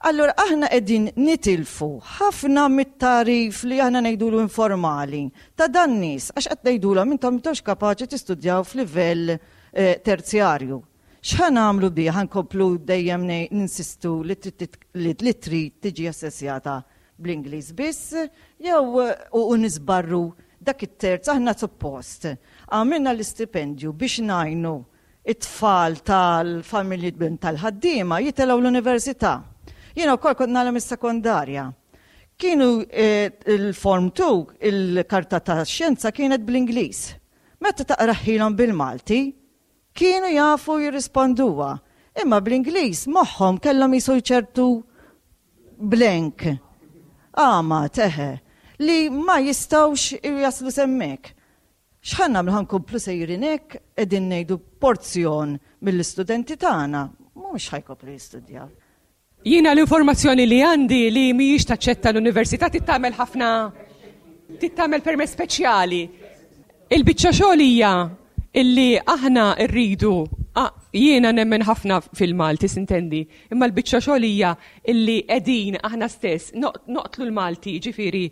Allura aħna qegħdin nitilfu ħafna mit-tarif li aħna ngħidulu informali ta' dan nies, għax qed ngħidulhom intom m'intux kapaċi tistudjaw f'livell terzjarju. X'ħa nagħmlu bih? Ħa nkomplu dejjem ninsistu li trid tiġi assessjata bl-Ingliż biss, jew u nisbarru dak it-terz. Aħna suppost għamilna l-istipendju biex ngħinu it-tfal tal-familji tal-ħaddiema jitilgħu l-università. Jiena wkoll kont nagħlem is-sekondarja. Kienu il-Form two, il-karta ta' xjenza kienet bl-Ingliż. Meta taqraħilhom bil-Malti, kienu jafu jirrisponduha. Imma bl-Ingliż moħħhom kellhom jisu ċertu blank. Għama, teħe, li ma jistgħux jaslu semmek. X'ħa nagħmlu, ħa nkomplu sejrin hekk, qegħdin ngħidu porzjon mill-istudenti tagħna mhux ħajkopru jistudjaw. Jiena l-informazzjoni li għandi li mhijiex taċċetta l-università tittamel ħafna, tittamel permess speċjali. Il-biċċa xogħol hija illi aħna rridu, jiena nemmen ħafna fil-Malti, sintendi, imma l-biċċa xogħol hija illi qegħdin aħna stess noqtlu l-Malti, ġifieri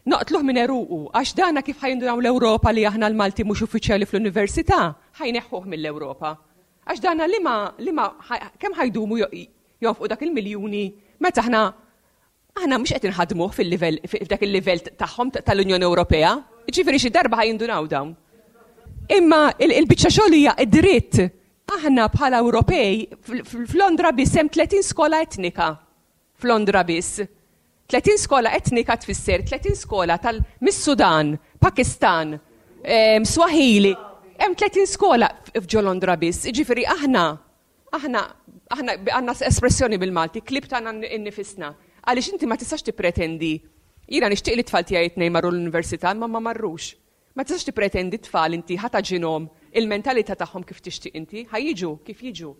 noqtluh minn eruqu, għax dana kif ħajndunaw l-Ewropa li aħna l-Malti mhux uffiċjali fl-università, ħajneħħuh mill-Ewropa. Għax dana li ma, li ma, kemm ħajdumu jonfqu dak il-miljuni meta aħna aħna mhux qed inħadmuh fil-livell, f'dak il-livell tagħhom tal-Unjoni Ewropea. Ġifieri xi darba ħajindunaw dawn. Imma il-biċċa xogħol hija d-dritt. Aħna bħala Ewropej f'Londra biss hemm tletin skola etnika. F'Londra biss. Tletin skola etnika tfisser tletin skola tal mis-Sudan, Pakistan, Swahili. Hemm tletin skola f'ġo Londra biss. Ġifieri aħna aħna aħna għandna espressjoni bil-Malti, klib tagħna innifisna. Għaliex inti ma tistax tippretendi Jiena nixtieq li t-tfal tiegħi tnejn marru l-università imma ma marrux. Ma tistax tippretendi t-tfal inti ħa tagħġinhom il-mentalità tagħhom kif tixtieq inti, ħa jiġu kif jiġu.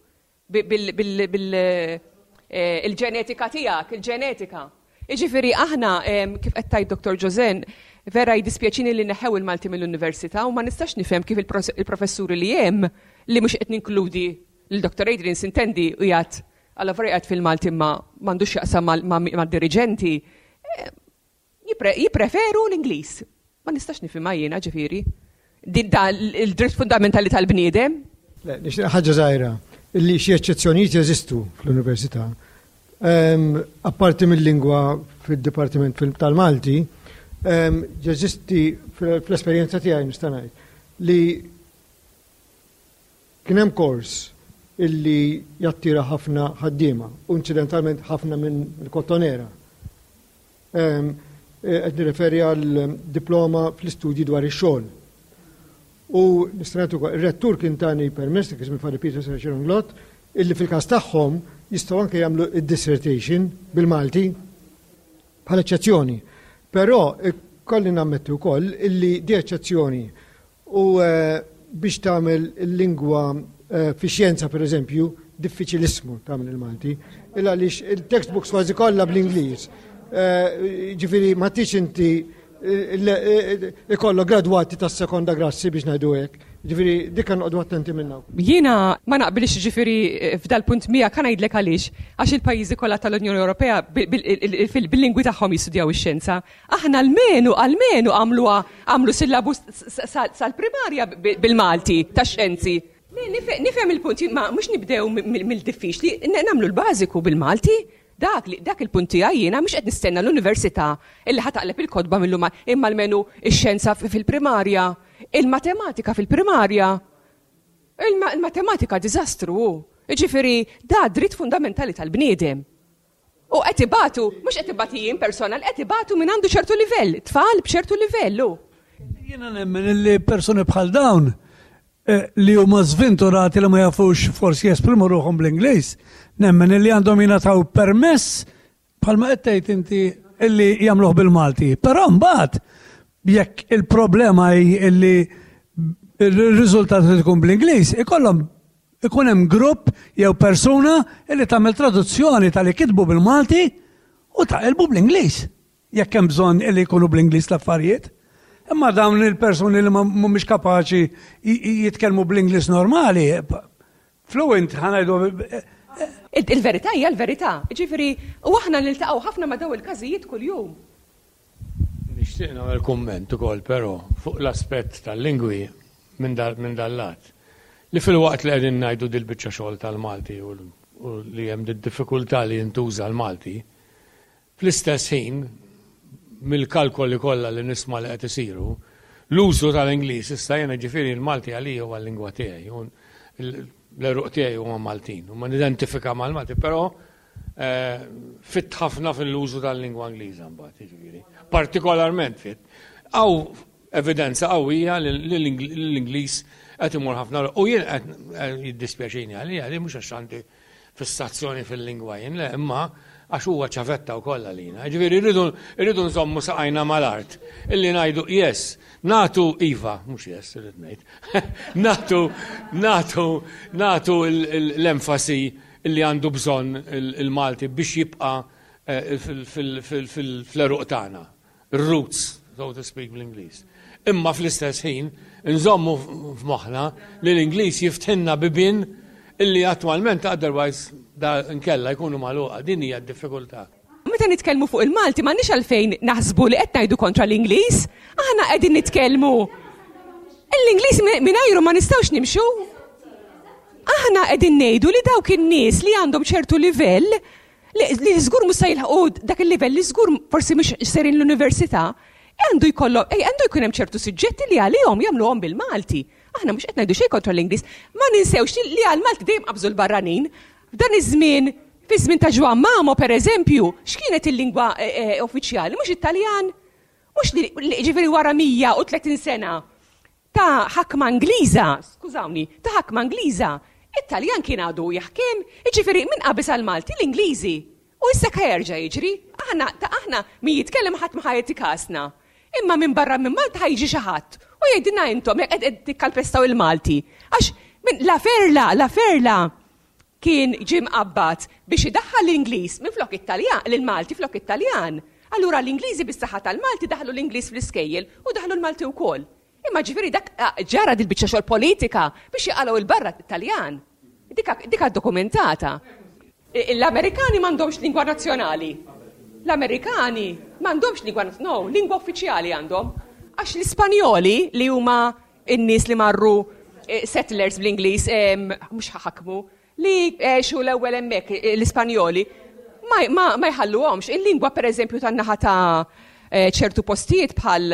Bil-ġenetika tiegħek, il-ġenetika. Jiġifieri aħna kif qed tgħid Dottor Joseanne, vera jdispjaċini li neħew il-Malti mill-università u ma nistax nifhem kif il-professuri li hemm li mhux qed ninkludi l-Dottor Adrian sintendi u jgħid għalla vera fil-Malti ma m'għandux jaqsam mad-diriġenti, jippreferu l-Ingliż. Ma nistax nifhimha jiena ġifieri. Din da il-dritt fundamentali tal-bniedem. Le, nixtieq ħaġa żgħira illi xi eċċezzjonijiet jeżistu fl-università. Apparti mill-lingwa fid-dipartiment tal-Malti, jeżisti fl-esperjenza tiegħi nista' ngħid li kien hemm kors illi jattira ħafna ħaddiema, u incidentalment ħafna minn il-Kottonera. Qed nirreferi għal diploma fl-istudji dwar ix-xogħol. U nista' ngħid ukoll, ir-rettur kien tani permess, kien ismu Father Peter Sharon Glott, illi fil-każ tagħhom jistgħu anke jagħmlu id-dissertation bil-Malti bħala eċċezzjoni. Però kolli nammetti wkoll illi di eċċezzjoni u biex tagħmel il-lingwa fi xjenza per eżempju, diffiċilissmu tagħmel il-Malti, illa għaliex il-textbooks kważi kollha bl-Ingliż. Ġifieri ma tix inti ikollok gradwati tas-sekonda grassi biex ngħidu hekk. Ġifieri dik noqogħdu attenti minnha. Jiena ma naqbilx ġifieri f'dal punt miegħek, ħa ngħidlek għaliex, għax il-pajjiżi kollha tal-Unjoni Ewropea bil-lingwi tagħhom jistudjaw ix-xjenza. Aħna almenu almenu għamluha għamlu syllabus sal-primarja bil-Malti tax-xjenzi. Nifhem il-punt, ma mhux nibdew mill-diffiċli, nagħmlu l-bażiku bil-Malti. Dak, dak il-punt tiegħi jiena mhux qed nistenna l-università illi ħa taqleb il-kotba mill-lum imma almenu ix-xjenza fil-primarja, il-matematika fil-primarja. Il-matematika diżastru. Jiġifieri da dritt fundamentali tal-bniedem. U qed ibatu, mhux qed ibati jien personal, qed ibatu minn għandu ċertu livell, tfal b'ċertu livell. Jiena nemmen illi persuni bħal dawn li huma żventurati li ma jafux forsi jesprimu ruħhom bl-Ingliż, nemmen illi għandhom jingħataw permess bħalma qed tgħid inti illi jagħmluh bil-Malti. Però mbagħad jekk il-problema hi illi il-riżultat li tkun bl-Ingliż, ikollhom ikun hemm grupp jew persuna illi tagħmel traduzzjoni tal-li kitbu bil-Malti u taqilbu bl-Ingliż. Jekk hemm bżonn illi jkunu bl-Ingliż l-affarijiet. Imma dawn il-persuni li mhumiex kapaċi jitkellmu bl-Ingliż normali, fluent ħa ngħidu. Il-verità hija l-verità. Ġifieri, u aħna niltaqgħu ħafna ma' daw il-każijiet kuljum. Nixtieq nagħmel kumment ukoll però fuq l-aspett tal-lingwi minn dal-lat. Li fil-waqt li qegħdin ngħidu dil-biċċa xogħol tal-Malti u li hemm did-diffikultà li jintuża l-Malti, fl-istess ħin mill-kalkoli kollha li nisma' li qed isiru, l-użu tal-Ingliż issa jiena ġifieri l-Malti għalija huwa l-lingwa tiegħi, l-għeruq tiegħi huma Maltin, u ma nidentifika mal-Malti, però fit ħafna fil-użu tal-lingwa Ingliża mbagħad, jiġifieri. Partikolarment fit. Hawn evidenza qawwija li l-Ingliż qed imur ħafna u jien qed jiddispjaċini għalija li mhux għax għandi fissazzjoni fil-lingwa jien, le, imma għax huwa ċavetta wkoll għalina. Ġifieri rridu nżommu saqajna mal-art. Illi ngħidu yes, natu iva, mhux yes, irrid ngħid. Natu, natu, natu l-enfasi illi għandu bżonn il-Malti biex jibqa' fl-għeruq tagħna. Roots, so to speak bl-Ingliż. Imma fl-istess ħin nżommu f'moħħna li l-Ingliż jiftħilna bibien illi attwalment otherwise da nkella jkunu magħluqa, din hija d-diffikultà. Meta nitkellmu fuq il-Malti m'għandniex għalfejn naħsbu li qed ngħidu kontra l-Ingliż, aħna qegħdin nitkellmu. L-Ingliż mingħajru ma nistgħux nimxu. Aħna qegħdin ngħidu li dawk in-nies li għandhom ċertu livell li żgur mhux se jilħqu dak il-livell li żgur forsi mhux serin l-università, għandu jkollhom, għandu jkun hemm ċertu suġġetti li għalihom jagħmluhom bil-Malti. Aħna mhux qed ngħidu xejn kontra l-Ingliż, ma ninsewx li għall-Malti dejjem qabżu l-barranin. F'dan iż-żmien, fi żmien ta' Ġwann Mamo pereżempju, x'kienet il-lingwa uffiċjali? Mhux Italjan. Mhux li ġifieri wara mija u tletin sena ta' ħakma Ingliża, skużawni, ta' ħakma Ingliża, it-Taljan kien għadu jaħkem, jiġifieri minn qabeż għall-Malti l-Ingliżi. U issa jerġa' jiġri, Aħna ta' aħna min jitkellem ħadd ma ħa jagħti kasna. Imma minn barra minn Malta ħa jiġi xi ħadd u jgħidilna intom jekk qed tikkalpestaw il-Malti. Għax minn La Ferla, La Ferla kien ġie mqabbad biex idaħħal l-Ingliż minn flok it-Taljan, l-Malti flok it-Taljan. Allura l-Ingliżi bis-saħħa tal-Malti daħlu l-Ingliż fl-iskejjel u daħlu l-Malti wkoll. Imma ġifieri dak ġara dil-biċċa xogħol politika biex jaqalgħu il-barra t-Taljan. Dika, dika dokumentata. L-Amerikani m'għandhomx lingwa nazzjonali. L-Amerikani m'għandhomx lingwa, no, lingwa uffiċjali għandhom. Għax l-Ispanjoli li huma n-nies li marru eh, settlers bl-Ingliż, mhux ħakmu, li għexu l-ewwel hemmhekk eh, l-Ispanjoli, ma, ma, ma jħalluhomx. Il-lingwa pereżempju tan-naħa ta' eh, ċertu postijiet bħal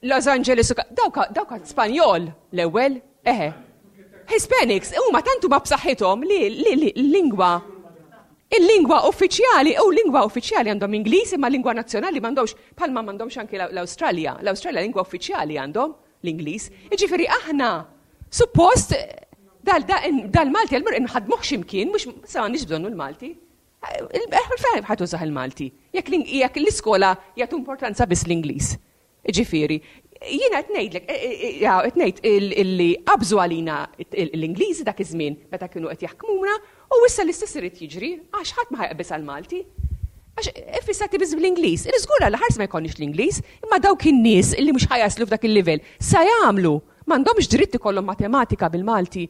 Los Angeles, dawk dawk Spanjol l-ewwel, eħe. Hispanics, huma tantu ma b'saħħithom li l-lingwa il-lingwa uffiċjali u lingwa uffiċjali għandhom Ingliż imma lingwa nazzjonali m'għandhomx bħalma m'għandhomx anki l-Awstralja. L-Awstralja lingwa uffiċjali għandhom l-Ingliż. Jiġifieri aħna suppost dal-Malti għal-mur nħadmuh x'imkien, mhux sa m'għandniex bżonnu l-Malti. Fejn ħa tużah il-Malti. Jekk l-iskola jagħtu importanza biss l-Ingliż. Ġifieri, jiena qed ngħidlek, qed ngħid illi qabżu għalina l-Ingliżi dak iż-żmien meta kienu qed jaħkmuna u issa l-istess irid jiġri għax ħadd ma ħa jaqbeż għall-Malti. Għax fissati biss bl-Ingliż. Iżgur għal ħars ma jkollniex l-Ingliż, imma dawk in-nies illi mhux ħa jaslu f'dak il-livell sa jagħmlu m'għandhomx dritt ikollhom matematika bil-Malti,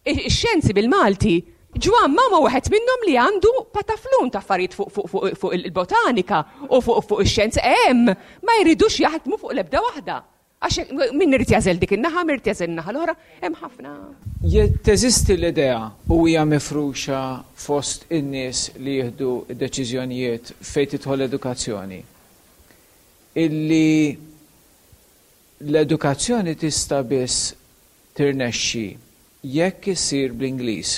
ix-xjenzi bil-Malti. Ġwan Mamo wieħed minnhom li għandu pataflun ta' affarijiet fuq fuq fuq fuq il-botanika u fuq fuq ix-xjenza hemm ma jridux jaħdmu fuq l-ebda waħda. Għax min irid jażel dik in-naħa, min irid jażel in-naħa l-oħra, hemm ħafna. Teżisti l-idea u hija mifruxa fost in-nies li jieħdu deċiżjonijiet fejn tidħol l-edukazzjoni. Illi l-edukazzjoni tista' biss tirnexxi jekk isir bl-Ingliż.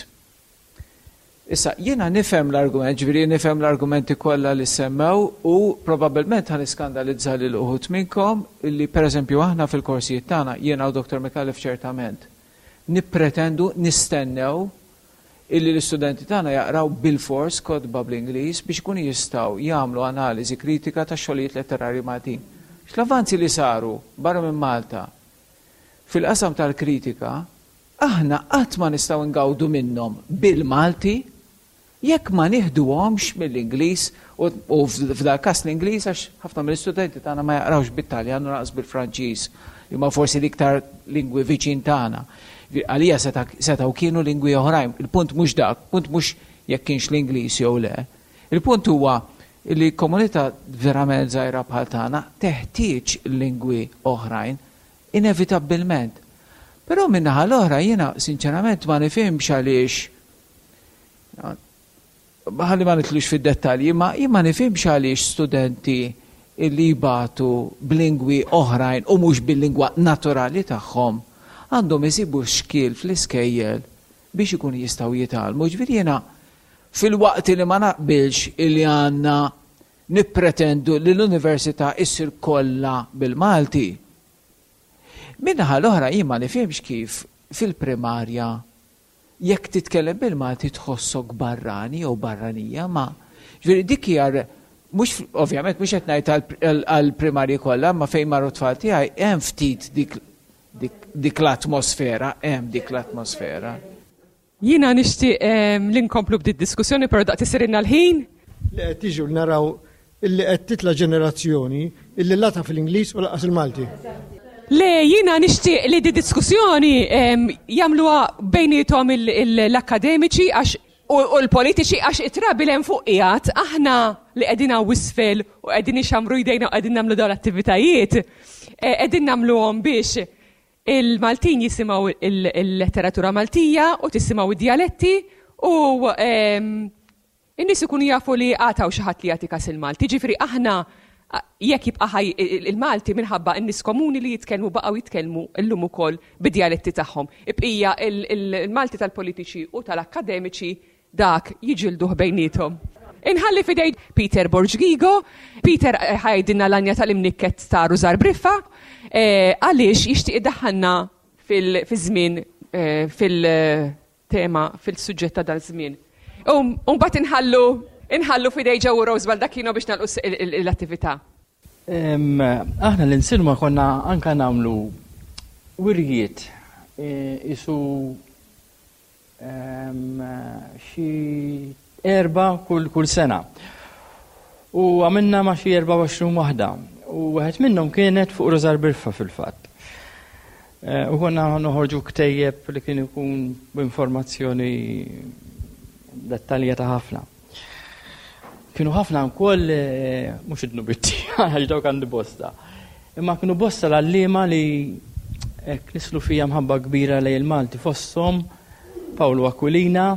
Issa, jiena nifhem l-argument, ġifieri nifhem l-argumenti kollha li semmew u probabbilment ħa niskandalizza lil uħud minnkom li pereżempju aħna fil-korsijiet tagħna, jiena u Doktor Micallef ċertament, nippretendu, nistennew illi l-istudenti tagħna jaqraw bil-fors kotba bl-Ingliż biex ikunu jistgħu jagħmlu analiżi kritika ta' xogħlijiet letterarji Maltin. L-avanzi li saru barra minn Malta fil-qasam tal-kritika aħna qatt ma nistgħu ngawdu minnhom bil-Malti jekk ma nieħduhomx mill-Ingliż u f'dal każ l-Ingliż għax ħafna mill-istudenti tagħna ma jaqrawx bit-Taljan u lanqas bil-Franċiż li ma forsi l-iktar lingwi viċin tagħna. Għalija setgħu kienu lingwi oħrajn. Il-punt mhux dak, punt mhux jekk kienx l-Ingliż jew le. Il-punt huwa li komunità verament żgħira bħal tagħna teħtieġ lingwi oħrajn inevitabbilment. Però min-naħa l-oħra jiena sinċerament ma nifhimx għaliex, ħalli ma nitlux fid-dettalji, ma jien ma nifhimx għaliex studenti illi jbatu b'lingwi oħrajn u mhux bil-lingwa naturali tagħhom għandhom isibu xkiel fl-iskejjel biex ikunu jistgħu jitgħallmu. Ġifieri jiena fil-waqt li ma naqbilx illi għandna nippretendu li l-università issir kollha bil-Malti. Min-naħa l-oħra jien ma nifhimx kif fil-primarja jekk titkellem bil-Malti tħossok barrani jew barranija, ma ġifieri dik hija mhux ovvjament mhux qed ngħid għall-primarji kollha, ma fejn marru tfal tiegħi hemm ftit dik, dik, dik l-atmosfera, hemm dik l-atmosfera. Jiena nixtieq li nkomplu b'did diskussjoni, però daqt isirilna l-ħin. Li qed tiġu naraw illi qed titla' ġenerazzjoni illi lata fil-Ingliż u laqas il-Malti. Le, jiena nixtieq li di diskussjoni jagħmluha bejniethom l-akademiċi għax u l-politiċi għax it-trabi hemm fuq qiegħed aħna li qegħdin hawn isfel u qegħdin ixamru jdejna u qegħdin nagħmlu dawn l-attivitajiet, qegħdin nagħmluhom biex il-Maltin jisimgħu il-letteratura Maltija u tisimgħu id-dialetti u in-nies ikunu jafu li għataw xi ħadd li jagħti kas il-Malti. Ġifieri aħna jekk jibqa' ħaj il-Malti minħabba n-nies komuni li jitkellmu baqgħu jitkellmu llum ukoll bid-dialetti tagħhom. Ibqija il-Malti tal-politiċi u tal-akkademiċi dak jiġilduh bejniethom. Inħalli fidej Peter Borg Ghigo. Peter ħajdinna l-anja tal-imnikket ta' Rużar Briffa, għaliex jixtieq iddaħħalna fil-żmien, fil-tema, fil-suġġett ta' dal-żmien. U mbagħad inħallu Inħallu f'idejn Joe u Rose Baldacchino biex nagħlqu l-attività. Aħna l-insilma konna anka nagħmlu wirjiet isu xi erba kull kull sena. U għamilna ma xi erbgħa u għoxrin waħda. U wieħed minnhom kienet fuq Rużar Birfa fil-fatt. U konna noħorġu ktejjeb li kien ikun b'informazzjoni dettaljata ħafna. Kienu ħafna wkoll, mhux id-dnubiet għax dawk għandi bosta. Imma kienu bosta l-għalliema li hekk nislu fija mħabba kbira lejn il-Malti, fosthom Paolo Aquilina,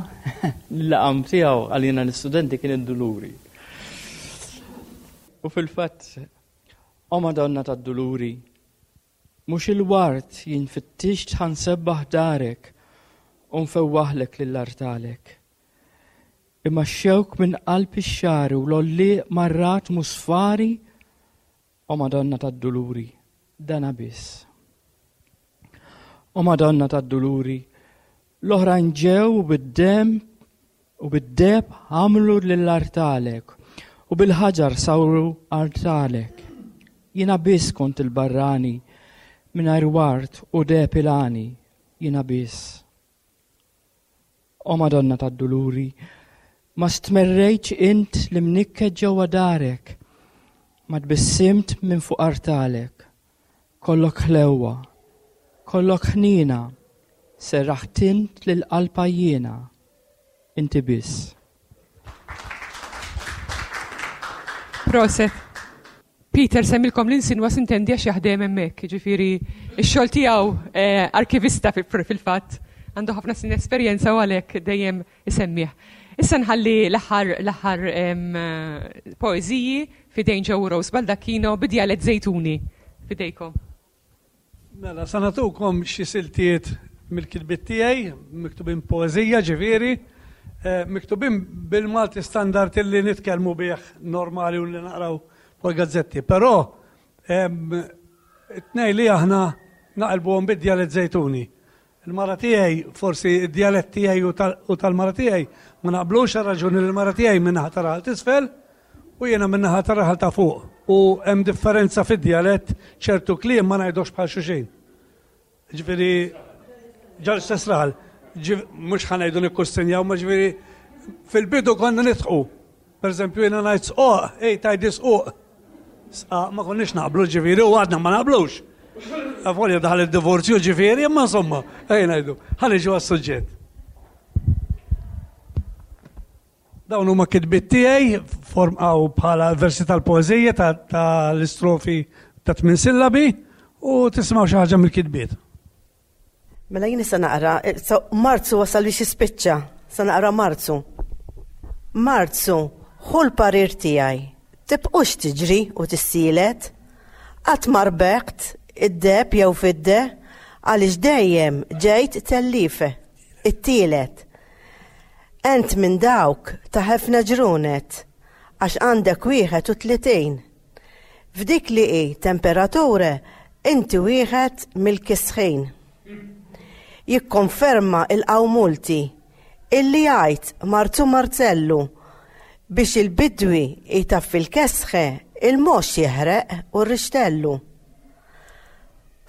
l-laqam tiegħu għalina l-istudenti kien id-Duluri. U fil-fatt, o Madonna tad-Duluri, mhux il-ward jien fittixt ħansebbaħ darek u nfewwaħlek lill-artalek. Imma x-xewk minn qalb ix-xagħri u l-għollieq marrat musfari, o Madonna tad-Duluri, dana biss. O Madonna tad-Duluri, l-oħrajn ġew u bid-demm u bid-deb għamlu lill-artalek u bil-ħaġar sawru artalek. Jiena biss kont il-barrani mingħajr ward u deb il-għani, jiena biss. O Madonna tad-Duluri, ma stmerrejtx int li mnikket ġewwa darek, ma tbissimt minn fuq artalek, kollok ħlewwa, kollok ħnina, serraħt int lil qalb għajjiena, inti biss. Proset. Peter semmilkom l-insinwa sintendi għax jaħdem hemmhekk, jiġifieri x-xogħol tiegħu arkivista fil-fatt, għandu ħafna snin esperjenza u għalhekk dejjem isemmih. Issa nħalli l-aħħar l-aħħar poeżiji f'idejn Joe Rose Baldacchino bidjalet Żejtuni. F'idejkom. Mela, sa nagħtukom xi siltiet mill-kitbiet tiegħi, miktubin poeżija ġifieri, miktubin bil-Malti standard illi nitkellmu bih normali u li naqraw fuq gazzetti. Però it-tnejn li aħna naqilbuhom bid-djalett Żejtuni. Il-mara tiegħi, forsi id-djalett tiegħi u tal-mara tiegħi ma naqblux għal raġuni li l-mara tiegħi min-naħa ta' raħal t'isfel u jiena min-naħa ta' raħal ta' fuq. U hemm differenza fid-djalett, ċertu kliem ma ngħidux bħal xulxin. Ġifieri ġal istess raħal, mhux ħa ngħidu nikkustinjaw, ma ġifieri fil-bidu konna nidħqu. Per eżempju jiena ngħid sqoq, ej tgħidi squq. Sqaq ma konniex naqblu ġifieri u għadna ma naqblux. Avolja daħal id-divorzju ġifieri, imma insomma, ejja ngħidu, ħa niġu għas-suġġett. Dawn huma kitbiet tiegħi formaw bħala versi tal-poeżija tal-istrofi ta' tmien sillabi u tisimgħu xi ħaġa mill-kitbiet. Mela jien issa naqra, Marzu wasal biex jispiċċa, sa naqra Marzu. Marzu, ħu l-parir tiegħi, tibqux tiġri u tissielet, qatt ma rbeħt id-deheb jew fidde, għaliex dejjem ġejt tellife, it-tielet. Ent minn dawk ta' ħafna ġrunet, għax għandek wieħed u tletin. F'dik li hi temperature, inti wieħed mill-kisħin. Jikkonferma il-qawmulti illi jgħid Marzu Marzellu biex il-bidwi jtaffi l-kesħe il-mox jeħreq u r-rixtellu.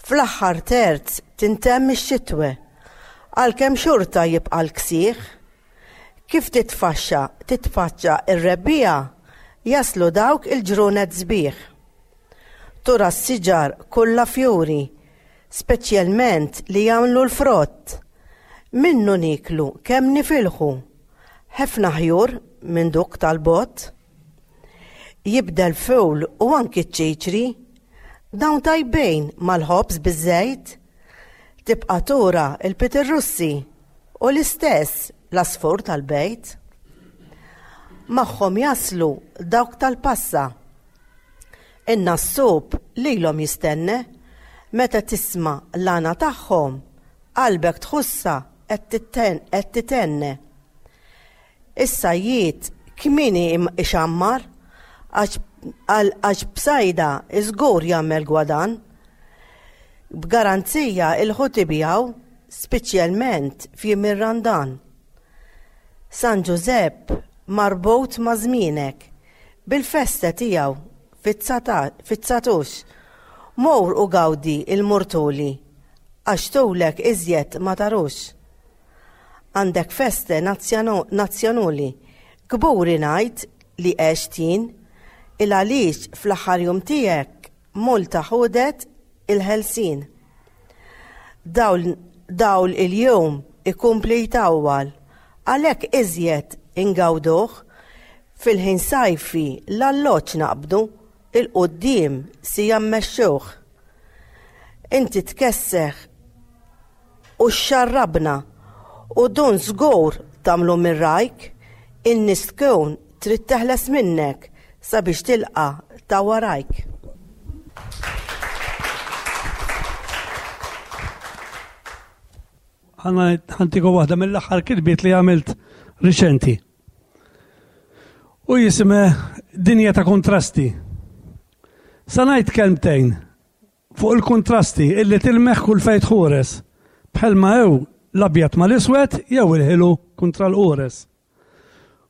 Fl-aħħar terz tintemm ix-xitwe, għalkemm xorta jibqa' l-ksieħ. Kif titfaxxa titfaċċa ir-rebbija, jaslu dawk il-ġrunet sbieħ. Tura s-siġar kollha fjuri, speċjalment li jagħmlu l-frott. Minnu niklu kemm nifilħu, ħafna ħjur minn duk tal-bott. Jibda l-fewl u anki ċ-ċiċri, dawn tajbejn mal-ħobż biż-żejt. Tibqa' tura il-pitirrussi u l-istess l-asfur tal-bejt. Magħhom jaslu dawk tal-passa. In-nassub lilhom jistenne, meta tisma' l-għana tagħhom, qalbek tħossha qed titenne. Is-sajjied kmieni ixammar għax b'sajda żgur jagħmel gwadan. B'garanzija il-ħut ibijaw, speċjalment f'jiem ir-Randan. San Ġużepp marbut ma' żmienek, bil-festa tiegħu fit-tsatux. Mur u gawdi il-murtuli, għax tulek iżjed ma tarux. Għandek feste nazzjonali, kburi ngħid li għext jien, il għaliex fl-aħħar jum tiegħek Malta ħadet il-ħelsien. Dawl il-jum ikompli jtawwal, għalhekk iżjed ingawduh, fil-ħin sajfi l-alloċ naqbdu, il-qoddim si jammexxuh. Inti tkesseħ u xarrabna u dun żgur tagħmlu minn rajk, in-nies tkun trid teħles minnek sabiex tilqa' ta' warajk. Ħantiku waħda mill-aħħar kitbiet li għamilt riċenti. U jisime Dinja ta' Kontrasti. Sa ngħid kelmtejn fuq il-kontrasti illi tilmeħ kull fejn tħures, bħalma hew l-abjad mal-iswed jew il-ħilu kontra l-qures.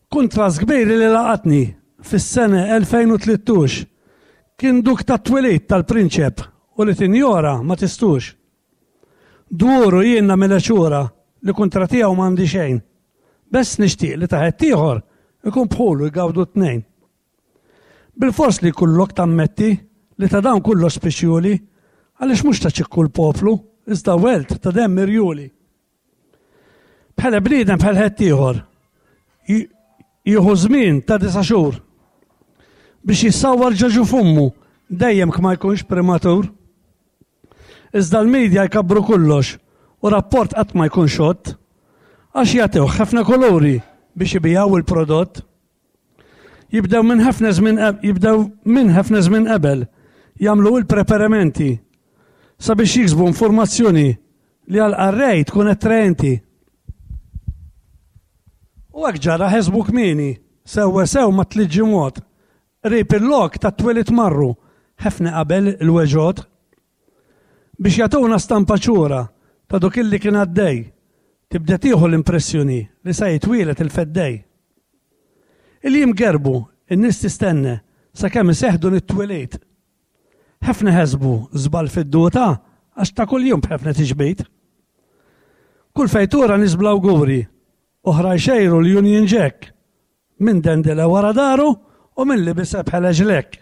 Kontrast kbir li laqatni fis-sena elfejn u tlittux kien duk tat-twelid tal-prinċep u li tinjora ma tistux. Duru jien nagħmilha xura li kontra tiegħu m'għandi xejn. Bess nixtieq li taħet ieħor ikun bħulu jgawdu t-tnejn. Bil-fors li kullok tammetti li ta' dawn kollox speċjuli għaliex mhux ta' ċikku l-poplu, iżda welt ta' demm irjuli. Bħala bniedem bħal ħadd ieħor jieħu żmien ta' disa' xhur biex jissawwar ġaġu fummu dejjem ma jkunx prematur. Iżda l-medja jkabru kollox u rapport qatt ma jkun xott għax jagħtew ħafna kolori biex ibijaw il-prodott. Jibdew minn ħafna żmien jibdew minn ħafna żmien qabel jagħmlu il-preparamenti sabiex jiksbu informazzjoni li għal qarrej tkun attraenti. U hekk ġara ħesbu kmieni, sewwa sew ma tliet ġimgħat. Qrib il-lok tat-twelid marru ħafna qabel il-weġod biex jagħtuna stampa ċura ta' dok illi kien għaddej, tibda tieħu l-impressjoni li sa jitwielet il-feddej. Il-jiem gerbu, in-nies tistenna sakemm iseħħdu nit-twelid. Ħafna ħesbu żball fid-duta għax ta' kuljum b'ħafna tiġbid. Kull fejtura nies bl-awguri, oħra jxejru l-Union Jack, minn dendela wara daru u minn li biseb bħala ġlek.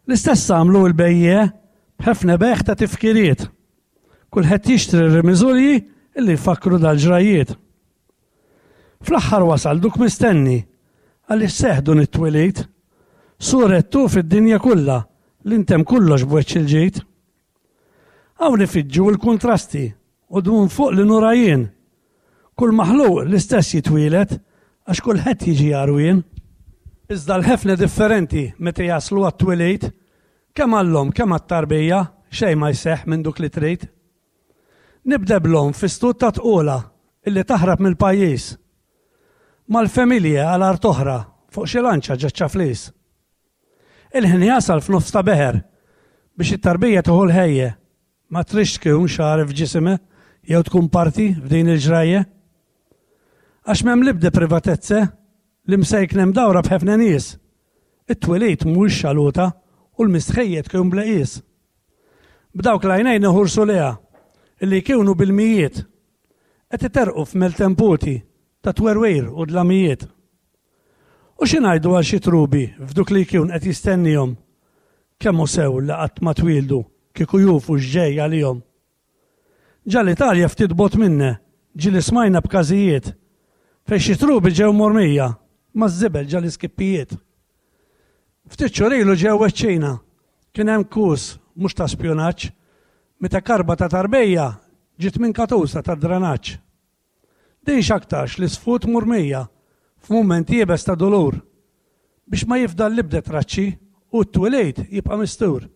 L-istess għamlu l-bejje b'ħafna beħ ta' tifkiriet. Kulħadd jixtri r-rimiżulji illi jfakru dal-ġrajiet. Fl-aħħar wasal duk mistenni għaliex seħdu nit-twelid, surettu fid-dinja kollha li ntem kollox b'wiċċ il-ġid. Hawn ifiġġu l-kontrasti u dun fuq li nurajien. Kull maħluq l-istess jitwielet għax kulħadd jiġi għarwien. Iżda l-ħefna differenti meta jaslu għat-twelid, kemm għall-omm kemm għat-tarbija xejn ma jseħħ minn duk li trid. Nibda bl-omm fi stud ta' tqula illi taħrab mill-pajjiż. Mal-familja għal art oħra fuq xi lanċa ġaċċa flis. Il-ħin jasal f'nofs ta' beħer biex it-tarbija tieħu l-ħejje ma trix tkun xagħar f'ġisime jew tkun parti f'din il-ġrajja. Għax m'hemm l-ebda privatezze li msejknem dawra b'ħafna nies. It-twelid mhuwiex xaluta u l-mistħejja tkun bla qies. B'dawk l-għajnejn iħursu leha illi jkunu bil-mijiet qed iterqu f'meltemputi ta' twerwir u dlamijiet. U xi ngħidu għal xi trubi f'duk li jkun qed jistennihom kemm hu sew li qatt ma twildu kieku jufu x'ġej għalihom. Ġa l-Italja ftit bot minna ġieli smajna b'każijiet fejn xi trubi ġew mormija maż-żibel ġa l-iskippijiet. Ftit xhur ilu ġew iċ-Ċina kien hemm kus mhux ta' spjunaġġ meta karba ta' tarbija ġiet minn katusa ta' dranaġġ. Din x'aktarx li sfut murmija f'mument iebes ta' dolur biex ma jifdal l-ibda traċċi u t-twelid jibqa' mistur.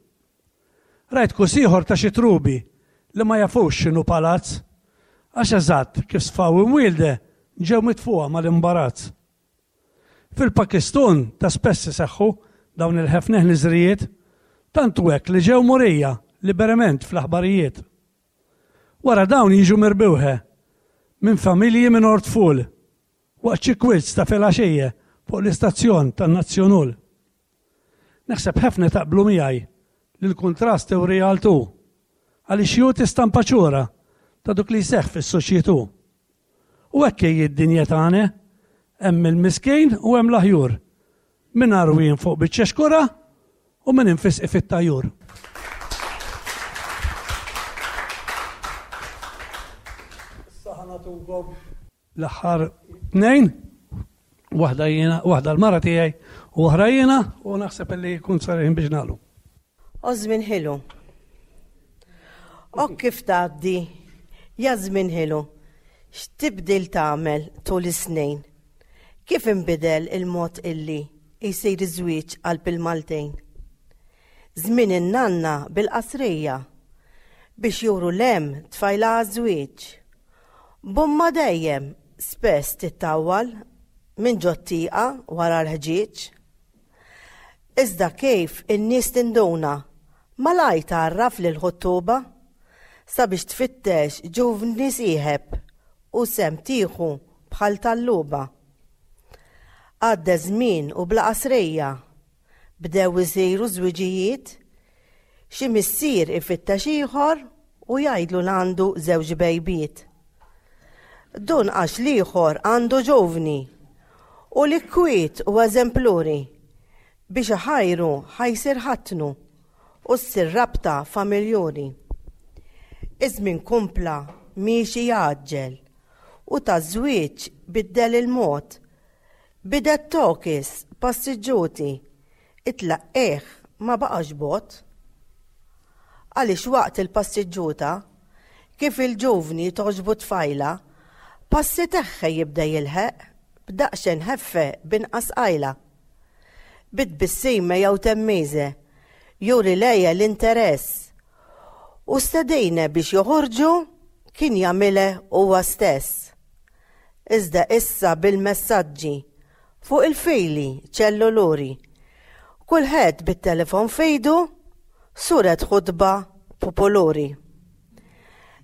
Rajt kus ieħor ta' xi trubi li ma jafux x'inhu palazz għax eżatt kif sfaw imwielde ġew mitfuqa mal-imbarazz. Fil-Pakistan ta' spess iseħħu dawn il-ħefneħ niżrijiet tant hu hekk li ġew murija liberament fl-aħbarijiet. Wara dawn jiġu mirbuħe minn familji minn ortful waqt xi quiz ta' filgħaxija fuq l-istazzjon tan-Nazzjonul. Naħseb ħafna taqblu miegħi li l-kuntrast hu realtù għaliex jagħti stampa ċura ta' dak li jseħħ fis-soċjetù. U hekk hi d-dinja tagħna, hemm il-miskin u hemm l-aħjur. Min għarwien fuq biċċa xkura u min infisqi fit-tajjur. Issa ħa nagħtukom l-aħħar tnejn, waħda jiena, waħda l-mara tiegħi u oħra jiena u naħseb li jkun sar ħin biex nagħlu. O żmien ħelu. O kif tgħaddi, ja żmien ħelu, x'tibdil tagħmel tul is-snin? Kif inbidel il-mod illi jsir iż-żwieġ qalb il-Maltejn? Żmien in-nanna bil-qasrija biex juru l-hemm tfajla għaż-żwieġ. Bumma dejjem spess tittawwal minn ġot-tieqa wara l-ħġieġ. Iżda kif in-nies tinduna malaj tgħarraf lil ħuttuba sabiex tfittex ġuvni sieħeb u sem tieħu bħal talluba. Għadda żmien u bla qasrija bdew isiru żwiġijiet, xi missier ifittex ieħor u jgħidlu l-għandu żewġ bejbiet. Dun għax l-ieħor għandu ġovni u li kwiet u eżempluri biex iħajru ħajsir ħatnu u ssir rabta familjuri. Iż-żmien kompla miexi jgħaġġel u taż-żwieġ biddel il-mod. Bidet tokis passiġġuti, it-tlaqqieħ ma baqax bot. Għaliex waqt il-passiġġuta, kif il-ġuvni toġbu tfajla, passi teħħe jibda jilħeq b'daqsxejn ħeffe b'inqas qajla. Bit-tbissima jew temmiże, juri lejja l-interess. U stedejne biex joħorġu kien jagħmilha huwa stess. Iżda issa bil-messaġġi fuq il-fili ċelluluri. Kulħadd bit-telefon fejdu suret ħutba popoluri.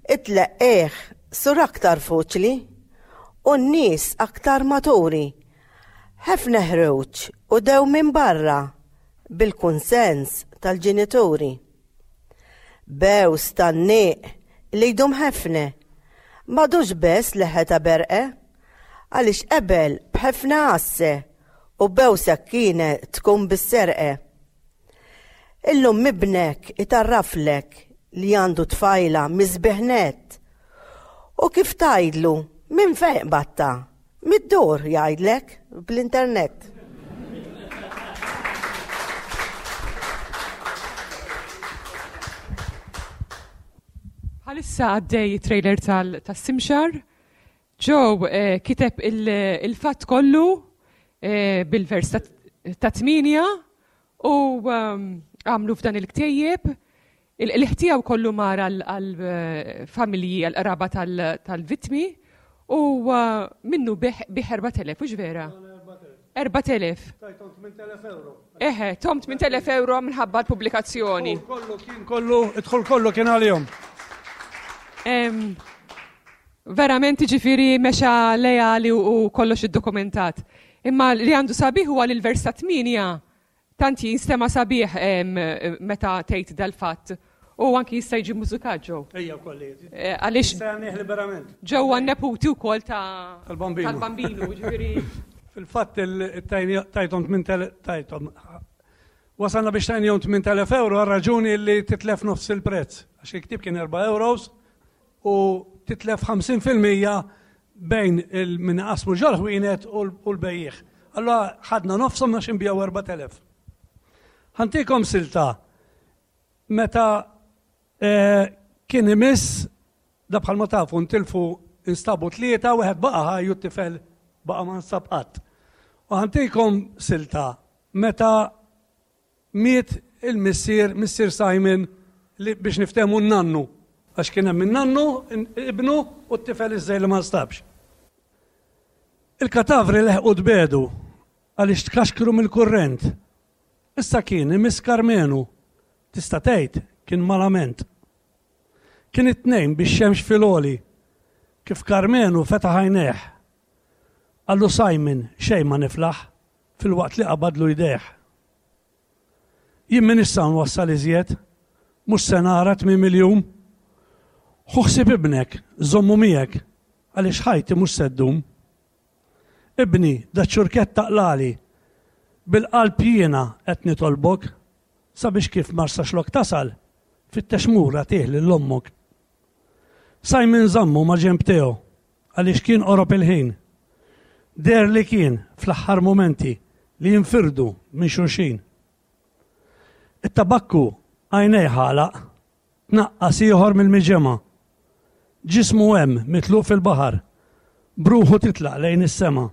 It-tleqqieħ sur aktar foċli u n-nies aktar maturi. Ħafna ħruġ u dew minn barra bil-kunsens tal-ġenituri. Bews tan-nieq li jdum ħafna, m'għadux bes leħħa ta' berqe, għaliex qabel b'ħafna għasse u bewsa kienet tkun bis-serqe. Illum mibnek itarraflek li għandu tfajla misbieħ nett. U kif tgħidlu minn fejn batta? Mid-dur jgħidlek bl-internet. Bħalissa għaddej trailer tas-Simxar. Joe eh, kiteb il-fatt kollu eh, bil-vers ta' tminja u ehm, għamlu f'dan il-ktejjeb. Il-ħtijaw kollu mar għal-familji, għal-qraba tal-vittmi u eh, minnu biħ erbat elef, ux vera? erbat elef. Tajtom tmien elef euro. Eħe, tom tmien elef euro minħabba l-pubblikazzjoni. Kollu kien kollu, idħol kollu kien għalihom. Verament ġifiri mexa lejali u kollox iddokumentat. Imma li għandu sabiħ huwa li l-vers ta' tminja tant jinstema' sabiħ meta tgħid dal-fatt. U anki jista' jiġi mużikat ġew. Ejja wkoll. Għaliex Jista' jagħnih liberament. Ġew għan-neputi wkoll ta' Tal-bambinu. Tal-bambinu, ġifieri. Fil-fatt tajthom tmien tajthom. Wasalna biex tajnihom tmien elef euro għal raġuni li titlef nofs il-prezz. Għax il-ktieb kien erba' euros u titlef ħamsin fil-mija bejn il-min qasmu ġol-ħwienet u l-bejjiegħ. Allora ħadna nofshom għax inbiegħu erbat elef. Ħantikom silta meta, eh, kien imiss, da bħalma tafu ntilfu instabu tlieta, wieħed baqa' ħaj u t-tifel baqa' ma nsab qatt. U ħantikom silta meta miet il-missier, missier Simon, li biex niftehmu n-nannu, għax kien hemm in-nannu, ibnu u t-tifel iż-żejr li ma nstabx. Il-katavri leħqu tbedu għaliex tkaxkru mill-kurrent. Issa kien imiss Karmenu, tista' tgħid kien malament. Kien it-tnejn biex xemx fil-oli, kif Karmenu fetaħ għajnejh. Qallu Simon, xejn ma niflaħ, filwaqt li qabadlu jdejh. Jien m'iniex sa nwassal iżjed, mhux se nara tmiem il-jum. Ħu ħsieb ibnek, żommu miegħek, għaliex ħajti mhux se ddum. Ibni, daċ-ċurkett taqlali, bil-qalb jiena qed nitolbok, sabiex kif Marsaxlokk tasal, fittex mur agħtih lil ommok. Simon żammu ma' ġenb Teo, għaliex kien qorob il-ħin. Deher li kien fl-aħħar mumenti li jinfirdu minn xulxin. It-tabakku għajnejh għalaq, tnaqqas ieħor mill-miġemgħa. Ġismu hemm mitluq fil-baħar, b'ruħu titlaq lejn is-sema.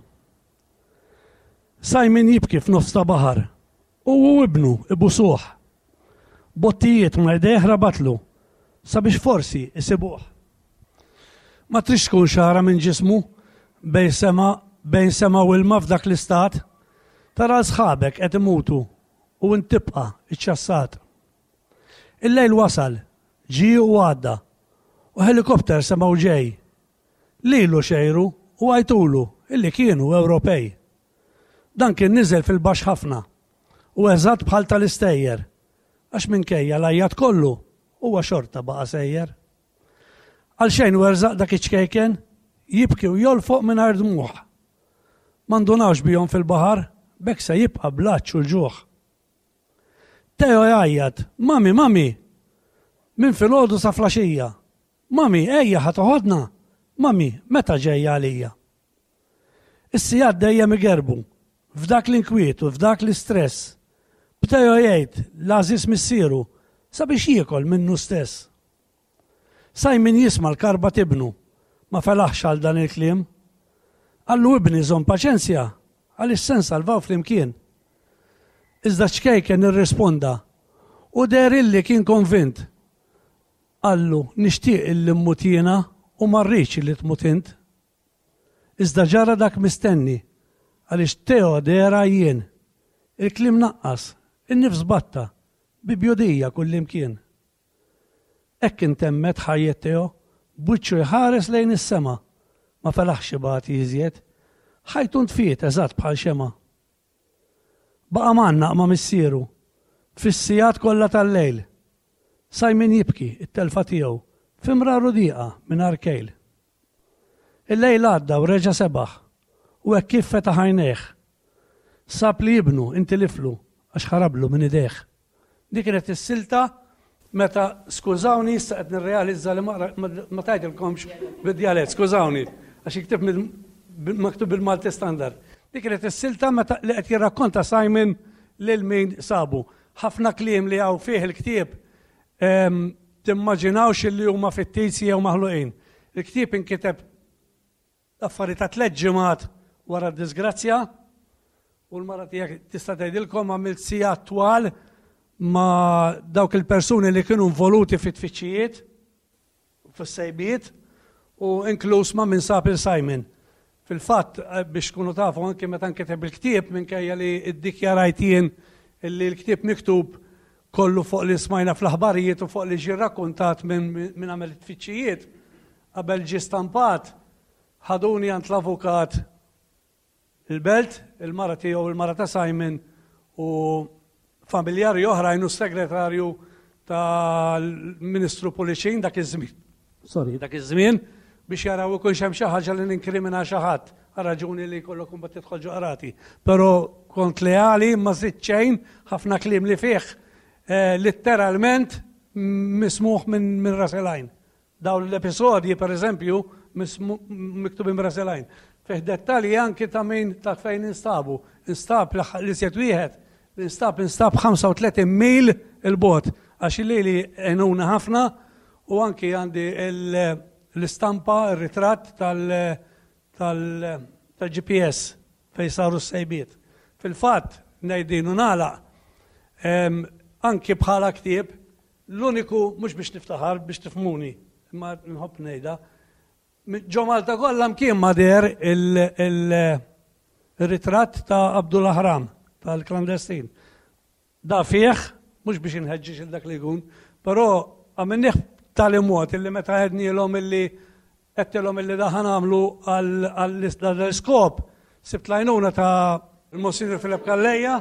Simon jibki f'nofs ta' baħar, u hu ibnu ibusuh. Bottijiet ma' jdejh rabatlu, sabiex forsi isibuh. Ma tridx tkun xagħra minn ġismu bejn sema bejn sema u ilma f'dak l-istat. Tara sħabek qed imutu u int tibqa' iċċassat. Il-lejl wasal, ġie u għadda, u ħelikopter semgħu ġej. Lilu xejru u għajtulu illi kienu Ewropej. Dan kien niżel fil-baxx ħafna u eżatt bħal tal-istejjer, għax minkejja l-għajjat kollu huwa xorta baqa' sejjer. Għalxejn werżaq dak iċ-ċkejken jibki u jolfoq mingħajr dmugħ. Ma ndunawx bihom fil-baħar, b'hekk se jibqa' bl-għatx u l-ġuħ. Teo jgħajjat, Mami, mami! Minn filgħodu sa flaxija. Mami, ejja ħa toħodna! Mami, meta ġejja għalija? Is-sigħat dejjem igerbu, f'dak l-inkwiet u f'dak l-istress. B'Teo jgħid l-għażiż missieru sabiex jiekol minnu stess. Simon jisma' l-karba t'ibnu, ma felaħx għal dan il-kliem. Qallu ibni żomm paċenzja għaliex se nsalvaw flimkien. Iżda ċ-ċkejken irrisponda u deher illi kien konvint. Qallu nixtieq illi mmut jiena u ma rridx illi tmut int. Iżda ġara dak mistenni għaliex Teo deher għajjien. Il-kliem naqqas, in-nifs batta, bi bjudija kullimkien. Hekk intemmet ħajjet Teo, b'wiċċu jħares lejn is-sema. Ma felaħx ibati iżjed. Ħajtu ntfiet eżatt bħal xemgħa. Baqa' mgħannaq ma' missieru fis-sigħat kollha tal-lejl. Simon jibki t-telfa tiegħu fi mrar u dieqa mingħajr kejl. Il-lejl għadda u reġa' sebaħ u hekk kif fetaħ għajnejh, sab li ibnu intiliflu għax ħarablu minn idejh. Dik kienet is-silta meta, skużawni, issa qed nirrealizza li ma tajtilkomx bid-djalett, skużawni, għax iktib maktub bil-Malti standard. Dik kienet is-silta meta li qed jirrakkonta Simon lil min sabu. Ħafna kliem li hawn fih il-ktieb ehm, timmaġinawx li huma fittizji jew maħluqin. Il-ktieb inkiteb affarijiet ta' tliet ġimgħat wara d-disgrazzja u l-mara tiegħek tista' tgħidilkom għamilt sigħat twal ma' dawk il-persuni li kienu involuti fit-tfittxijiet, fis-sejbiet u inkluż ma' min sab il-Simon. Fil-fatt, eh, biex tkunu tafu anke meta nkiteb il-ktieb minkejja li ddikjarajt jien li l-ktieb miktub kollu fuq li smajna fl-aħbarijiet u fuq li ġie rrakkontat minn min għamel it-tfittxijiet, qabel ġie stampat, ħaduni għand l-avukat il-Belt, il-mara tiegħu, il-mara ta' Simon u familjari oħrajn u s-segretarju tal-Ministru Pullicin dak iż-żmien. Sorry, dak iż-żmien biex jaraw ikunx hemm xi ħaġa li ninkrimina xi ħadd għal raġuni li jkollok imbagħad tidħol ġo qrati. Però kont leali ma żidt xejn, ħafna kliem li fih eh, litteralment mismuħ minn min ras il-għajn. Dawn l-episodji, per eżempju, miktubin b'ras il-għajn. Fih dettalji anki ta' min ta' fejn instabu. Instab l-iżjed wieħed, l-instab instab ħamsa u tletin mil il-bogħod, għax lili għenuna ħafna u anki għandi l-istampa, ir-ritratt tal-G P S fejn saru s-sejbiet. Fil-fatt, ngħid din u nagħlaq, anki bħala ktieb, l-uniku, mhux biex niftaħar, biex tifhmuni, imma nħobb ngħidha, ġo Malta kollha mkien ma deher il-ritratt ta' Abdul Ahram, tal-klandestin. Da fih, mhux biex inħeġġeġ il dak li jkun, però għamilnieh b'tali mod illi meta għednielhom illi għedtilhom illi da ħanamlu għall-iskop, Sibt l-għajnuna ta' il-Monsignor Filip Calleja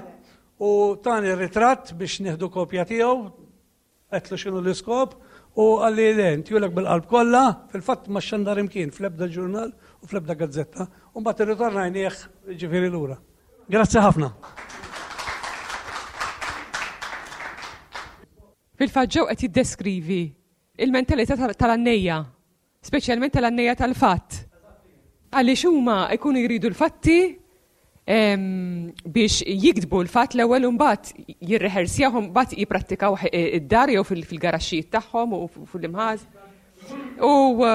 u tani ritratt biex nieħdu kopja tiegħu, għedtlu x'inhu l-iskop u qalli le, ntihulek bil-qalb kollha, fil-fatt ma xandar imkien fl-ebda ġurnal u fl-ebda gazzetta, u mbagħad irritornajnieh ġifieri lura. Grazzi ħafna. Fil-fatt Joe qed jiddeskrivi il-mentalità tal-għannejja, speċjalment tal-għannejja tal-fatt. Għaliex huma jkunu jridu l-fatti biex jiktbu l-fatt l-ewwel u mbagħad jirrehersjahom, mbagħad jipprattikaw id-dar jew fil-garaxxijiet tagħhom u fil-imħaż. U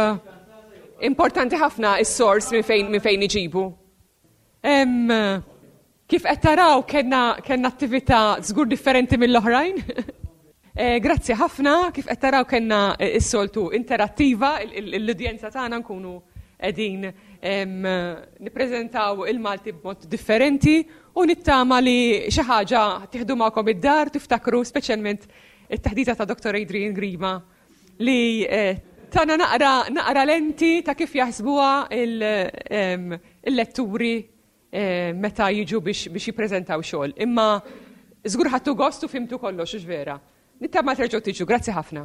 importanti ħafna s-sors minn fejn minn fejn iġibu. Kif qed taraw kellna kellna attività żgur differenti mill-oħrajn. Grazzi ħafna, kif qed taraw kellna s-soltu interattiva, l-udjenza tagħna nkunu qegħdin nippreżentaw il-Malti b'mod differenti u nittama li xi ħaġa tieħdu magħkom id-dar, tiftakru speċjalment it-taħdita ta' Doktor Adrian Grima li tana naqra naqra lenti ta' kif jaħsbuha il-letturi meta jiġu biex biex jippreżentaw xogħol. Imma żgur ħadtu gost u fimtu kollox, hux vera. Nittama terġgħu tiġu, grazzi ħafna.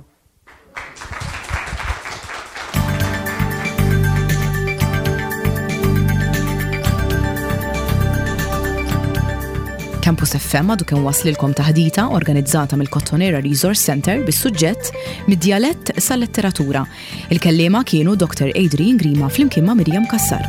Campus F M għadu kemm waslilkom taħdita organizzata mill-Kottonera Resource Center bis-suġġett Mid-djalett sal-letteratura. Il-kellima kienu Doktor Adrian Grima flimkien ma' Miriam Cassar.